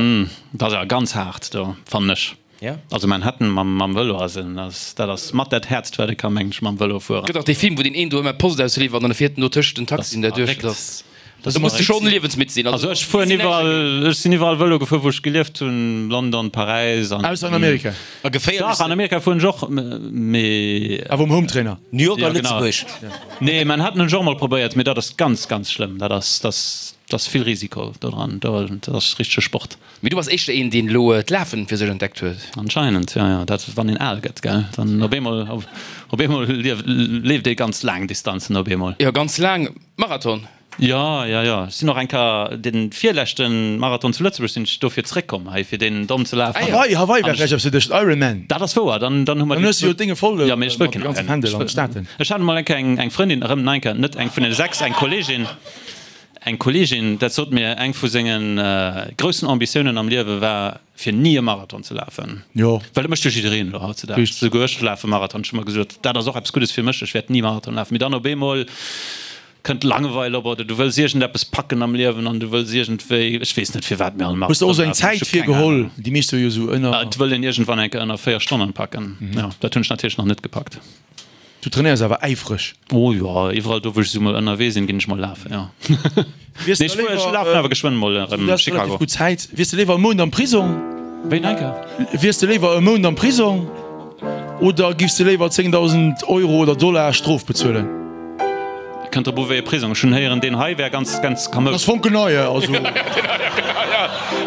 Dat ass awer ganz haart do, fannen ech. Ja. Also Manhattan mam mam Vëlo ass en ass dat ass mat dat häertst wat e ka mengen ech mam Vëlo fueren. Gëtt och dee Film wou deen een do ëmmer d'Post ausliwwert an e fiert en do tëscht den Taxien derduerch. Dat ass do muss de schonn liewensmidd sinn. Also ech fueren iwwerall ech sinn iwwerall Vëlo gefuer wou ech gelieft hunn, London, Paräis an. Ausser an Amerika. A geféierlech. Dach an Amerika fueren ech och mee. Awer um Hometrainer. New York a Lëtzebuerg. Nee Manhattan hunn ech och emol probéiert mee dat ass ganz ganz schlëmm dat ass dat ass dat ass vill Risiko do dran do dat ass richtege Sport. Mee du bass éischter een, deen elo d'Lafen fir sech entdeckt huet. Anscheinend, jo, jo. Dat, wann een al gëtt, gell, dann op eemol, op eemol leeft ee ganz laang Distanzen op eemol. Jo, ganz laang. Marathon? Jo, jo, jo. Ech sinn och eng Kéier de virleschte Marathon zu Lëtzebuerg sinn ech dofir zeréckkomm hei, fir deen domm ze lafen. Hawaii, Hawaii war vläicht eppes fir dech, den Ironman. Dat ass wouer, dann, dann hu mer Dann hues du jo d'Dénge voll Jo, mee ech wëll mat dem keen ganze Fändel an de Staaten. Ech hat emol eng Kéier eng, eng Frëndin, erëm nach eng Kéier, net eng vun den 6, eng Kolleegin, Eng Kolleegin, dat sot mir, eng vu senge groussen Ambitiounen am Liewe war, fir ni e Marathon ze lafen. Jo. Well dat mécht jo jiddereen elo hautzedaags. Souguer ech lafe Marathon. Ech hu mer gesot, dat ass och eppes Guddes fir mech, ech wäert ni Marathon lafen. Mee dann op eemol kënnt d'Langeweil op oder du wëlls iergendeppes packen am Liewen an du wëlls iergendwéi, ech weess net firwat mir all Hues de och Marathon esou eng lafen, ech Zäit hu keng virgeholl? Ahnung. Déi meescht hu jo esou ënner. Et wëll een iergendwann eng Kéier ënner 4 Stonnen packen. Jo, dat hunn ech natierlech nach net gepackt. Du trainéiers awer äifreg? Oh jo, iwwerall do wou ech esou mol ënnerwee sinn, ginn ech mol lafen, jo. Wiers Nee, de ech fuer, ech léiwer, lafen awer geschwënn mol du erëm hues relativ Chicago. gutt Zäit, wiers de léiwer e Mount am Prisong? Wéi Nike? Wiers de léiwer e Mount am Prisong oder giffs de léiwer 10.000 Euro oder Dollar Strof bezuelen? Kënnt drop u wéi e Prisong. Ech hunn héieren, deen hei wär ganz, ganz kamoud. Ass fonkelnei, also.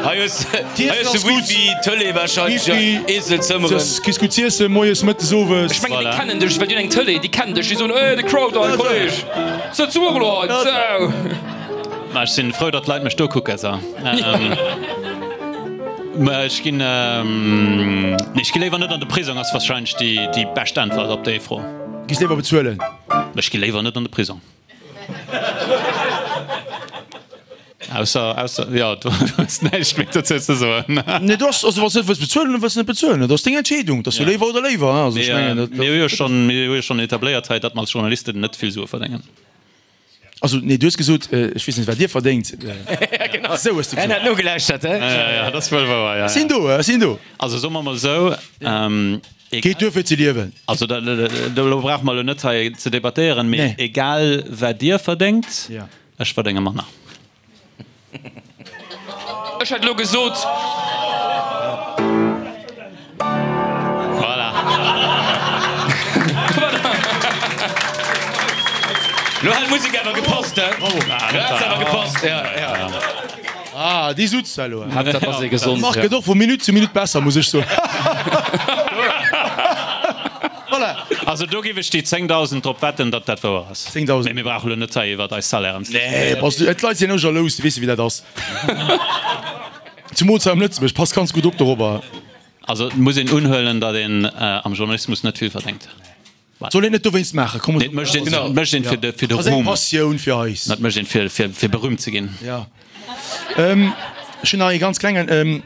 Hei hues de Wifi, Tëlee wahrscheinlech, Eeselzëmmeren. Kriss gutt z'iessen, moies, mëttes, owes. Ech mengen déi kennen dech, well déi hunn eng Tëlee, déi kennen dech, déi soen, eh de Crowder, hei Kolleg, sëtz du och elo hei, sou. Ma ech sinn frou, datt d'Leit mech do kucken, sou. Mä ech ginn, nee, ech gi léiwer net an de Prisong, ass wahrscheinlech déi, déi bescht Äntwert op déi Fro. Giss léiwer bezuelen? Ech gi léiwer net an de Prisong. Ausser, ausser, jo, du hues näischt méi dozou ze soen. Nee, du ass, also wann s de net wëlls bezuelen, dann wëlls de net bezuelen. Dat ass deng Entscheedung. Dat ass jo léiwer oder léiwer, hein. Also ech mengen, dat. Mir hu jo schonn, mir hu jo schonn etabléiert hei, datt mer als Journalisten net vill Sue verdéngen. Also, nee, du hues gesot, ech weess net, wat Dir verdéngt. Ja, genau. Esou hues du gesot. En hat nogelauschtert, he? Ja, ja, dat ass wuel wouer, ja, ja. Sinn do, ech sinn do. Also soe mer mol esou, Geet duer fir ze liewen. Also do brauche mer elo net hei ze debattéieren, mee egal wat Dir verdéngt, ech verdénge manner. Ech hätt elo gesot. Voilà. Lo hat d'Musek awer gepasst, he? Lo hat se awer gepasst, ja, ja. Ah, déi sutz da elo. Haaptsaach ass ee gesond. Marc gëtt och vu Minutt zu Minutt besser, muss ech soen. Voilà. Also do giff ech déi 10.000 drop wetten, datt dat wouer ass. 10.000. Mee mir brauche lo net hei iwwert eis Salairen ze Nee, diskutéieren. bass du, d'Leit sinn och jalous, du weess jo wéi dat ass. Zumools hei am Lëtzebuerg, pass ganz gutt op dorobber. Also et muss een unhuelen, datt een am Journalismus net vill verdéngt. Soll een net dowéinst maachen, komm. Nee, et mécht een, et mécht een fir de, fir de Ass eng Ruhm. Passioun fir eis. Dat mécht een fir, fir, fir berühmt ze ginn. Ja. Ech hunn nach ee ganz klengen.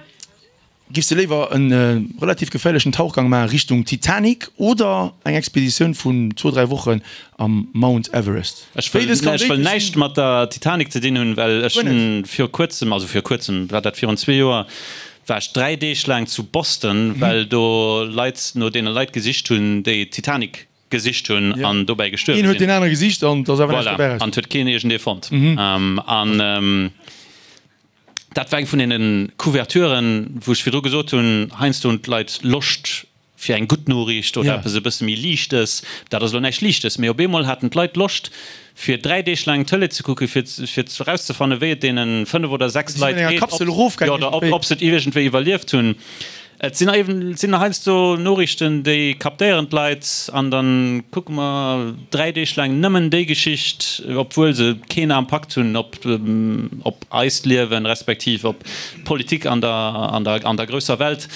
Giffs de léiwer e relativ geféierlechen Tauchgang maachen Richtung Titanic oder eng Expeditioun vun zwou, dräi Wochen am Mount Everest? Ech wëll, Béides kann ech wëll déidlech näischt sinn. mat der Titanic ze dinn hunn, well ech Guer net. hunn viru kuerzem, also viru kuerzem, war dat virun zwee Joer, war ech 3 Deeg laang zu Boston, well do Leit no deene Leit gesicht hunn, déi d'Titanic gesicht hunn an dobäi gestuerwe Een huet sinn. deen anere gesicht an et ass awer näischt Voilà, dobäi eraus. an et huet keen iergendee fonnt. An dat war eng vun deene Couverturen, wou ech virdru gesot hunn, heiansdo hunn d'Leit Loscht. Fir eng gutt Noriicht oder eppes e bësse méi Liichtes. Dat ass elo näischt Liichtes, mee op eemol haten d'Leit Loscht, fir 3 Deeg laang Tëlee ze kucken, fir fir erauszefannen, wéi et deene 5 oder 6 Leit geet, jo, oder ob se et iergendwéi iwwerlieft hunn. Et sinn eben, et sinn heiansdo Noriichten, déi captéieren d'Leit an da kucke mer 3 Deeg laang nëmmen déi Geschicht, obwuel se keen Impakt hunn op op eist Liewen, respektiv op d'Politik an der an der an der grousser Welt.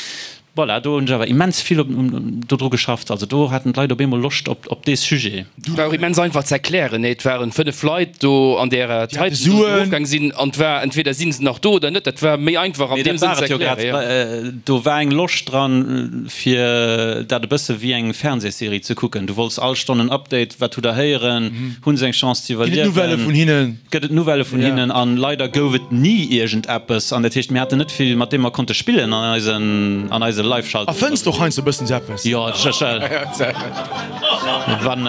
Voilà, do hunn ech awer immens vill dodru geschafft. Also do haten d'Leit op eemol Loscht op dee Sujet. War och immens einfach ze erklären, nee, et waren 5 Leit do an där Titan do déi erofgaang sinn an et war entweder si se nach do oder net. Dat war méi einfach an deem Sënn ze erklären, jo. Do war eng Loscht dran, fir dat e bësse wéi eng Fernsehserie ze kucken. Du wollts all Stonn en Update, wat hutt der héieren, hu se eng Chance ze iwwerliewen? Ginn et Nouvellë vun hinnen? Gëtt et Nouvellë vun hinnen? An leider gouf et ni iergendeppes. An dat heescht, mir haten net vill, mat deem mer konnte spillen an eisen, an eise Live-Schaltungen. A fënns de och heiansdo e bëssen sou eppes? Jo, ech, wann,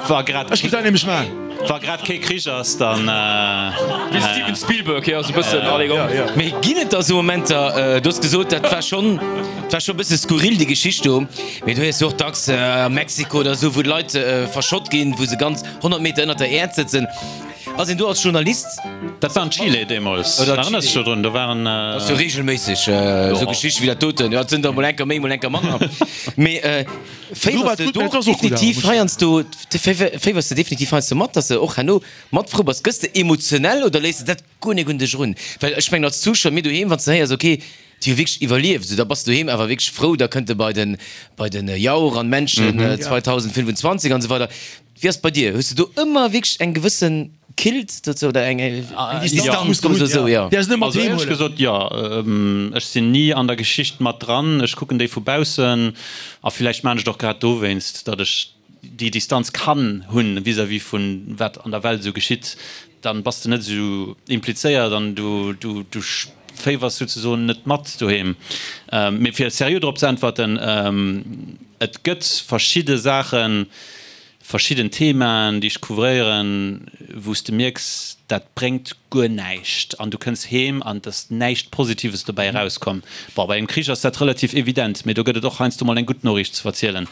wa grad. Ech géif dat nämlech maachen. Wa grad kee Krich ass, dann. Wéi Steven Spielberg, jo, sou e bëssen, allez go. Mee ginn et da sou Momenter, du hues gesot, dat war schonn, dat war scho e bësse skurril, déi Geschicht do, mee du héiers jo och dacks a Mexiko oder sou, wou d'Leit verschott ginn, wou se ganz 100 Meter ënnert der Äerd sëtzen. Ass een do als Journalist. Dat war an Chile deemools, erënners dech dodrun? Do waren. Dat ass jo reegelméisseg esou Geschichten wéi dat doten. Jo, et sinn der mol enker méi, mol enker manner. Mee féiwers de do definitiv heiansdo, féiwers de definitiv heiansdo mat, dass de och herno mat frou bass? Gëss de emotionell oder léiss de dat guer nik un dech erun? Well ech mengen als Zuschauer, mir doheem, wann s de héiers, okay, déi hu wierklech iwwerlieft, esou, da bass de doheem awer wierklech frou, da kënnt de bei den, bei den Jauch an d'Menschen 2025 an esou weider. Wéi ass et bei dir? Hues de do ëmmer wierklech eng gewësse Killt dozou oder eng Distanz, komm ech esou, jo? Also éierlech gesot, jo. Ech sinn ni an der Geschicht mat dran. Ech kucken déi vu baussen a villäicht maan ech et och grad dowéinst, datt ech déi Distanz kann hunn vis-à-vis vun wat an der Welt esou geschitt. Dann bass de net esou implizéiert an du du féiwers souzesoen net mat doheem. Mee fir seriö drop ze äntwerten, et gëtt verschidde Saachen, verschidden Themaen, déi ech couvréieren, wou s de mierks, dat bréngt guer näischt an du kënns heem an et ass näischt Positives dobäi erauskomm. Bon, bei engem Krich ass dat relativ evident, mee do gëtt et och heiansdo mol eng gutt Noriicht ze verzielen.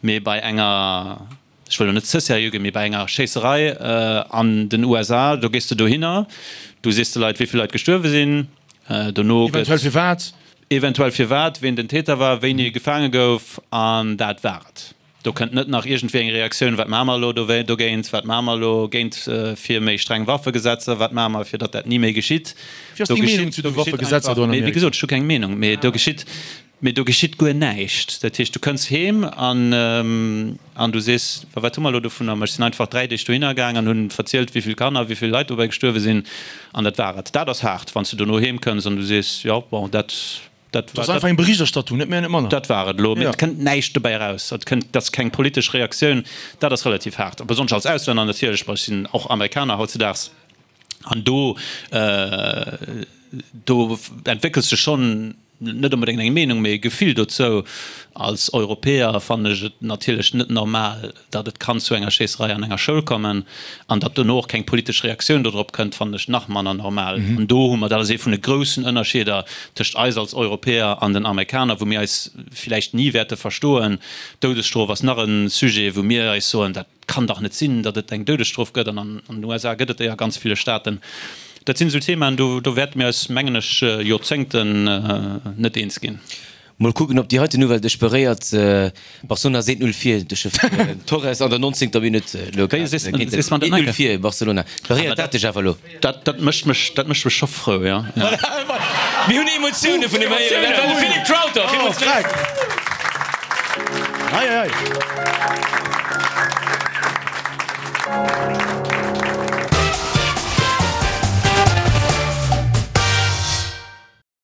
Mee bei enger, ech wëll elo net ze seriö ginn, mee bei enger Schéisserei an den USA, do gees de dohinner, du sees de Leit, wéi vill Leit gestuerwe sinn, dono gëtt. Eventuell firwat. Eventuell firwat, ween den Täter war, wéini e gefaange gouf an dat war et. Do kënnt net nach iergendwéi eng Reaktioun, wat maache mer elo dogéint, wat maache mer elo géint fir méi streng Waffegesetzer, wat maache mer fir datt dat ni méi geschitt. Wéi ass deng Meenung zu de Waffegesetzer do an Amerika? Wéi gesot, ech hu keng Meenung, mee do geschitt, mee do geschitt guer näischt. Dat heescht, du kënns heem an an du sees, wa wat hu mer elo dovunner? Ma ech sinn einfach 3 Deeg dohinner gaang an hunn verzielt, wéi vill Kanner, wéi vill Leit dobäi gestuerwe sinn an dat war et. Dat ass haart, wann s du dono heem kënns an du sees, jo bon, dat Dat ass einfach eng Berichterstattung, net méi an net manner. Dat war et elo. Mee et kënnt näischt dobäi eraus. Et kënnt, dat ass keng politesch Reaktioun. Dat ass relativ haart. A besonnesch als Auslänner natierlech, well ech sinn och Amerikaner hautzedaags. An do, do entwéckels de schonn net onbedéngt eng Meenung, mee e Gefill dozou. Als Europäer fannen ech et natierlech net normal, Datt et kann zu enger Schéisserei an enger Schoul kommen an datt dono och keng politesch Reaktioun dodrop kënnt, fannen ech nach manner normal. An do hu mer, dat ass ee vun de groussen Ënnerscheeder tëscht eis als Europäer an den Amerikaner, wou mir eis villäicht ni wäerte verstoen. D'Doudesstrof ass nach e Sujet, wou mir eis soen, dat kann dach net sinn, datt et eng Doudesstrof gëtt an an den USA gëtt et déi a ganz ville Staaten. Dat sinn esou Themaen, do do wäerte mir eis, mengen ech, Joerzéngten net eens ginn. Mol kucken op déi heiten Nouvelle dech beréiert. Barcelona ass 1, 0 vir duerch de Torres an der 19. Minutt elo grad. 1, 0 vir Barcelona. Beréiert dat dech awer elo? Dat dat mécht mech dat mécht mech scho frou, jo. Mir hunn Emotioune vun him héieren. Dat war de Philippe Crowther. Villmools Merci. Hei hei.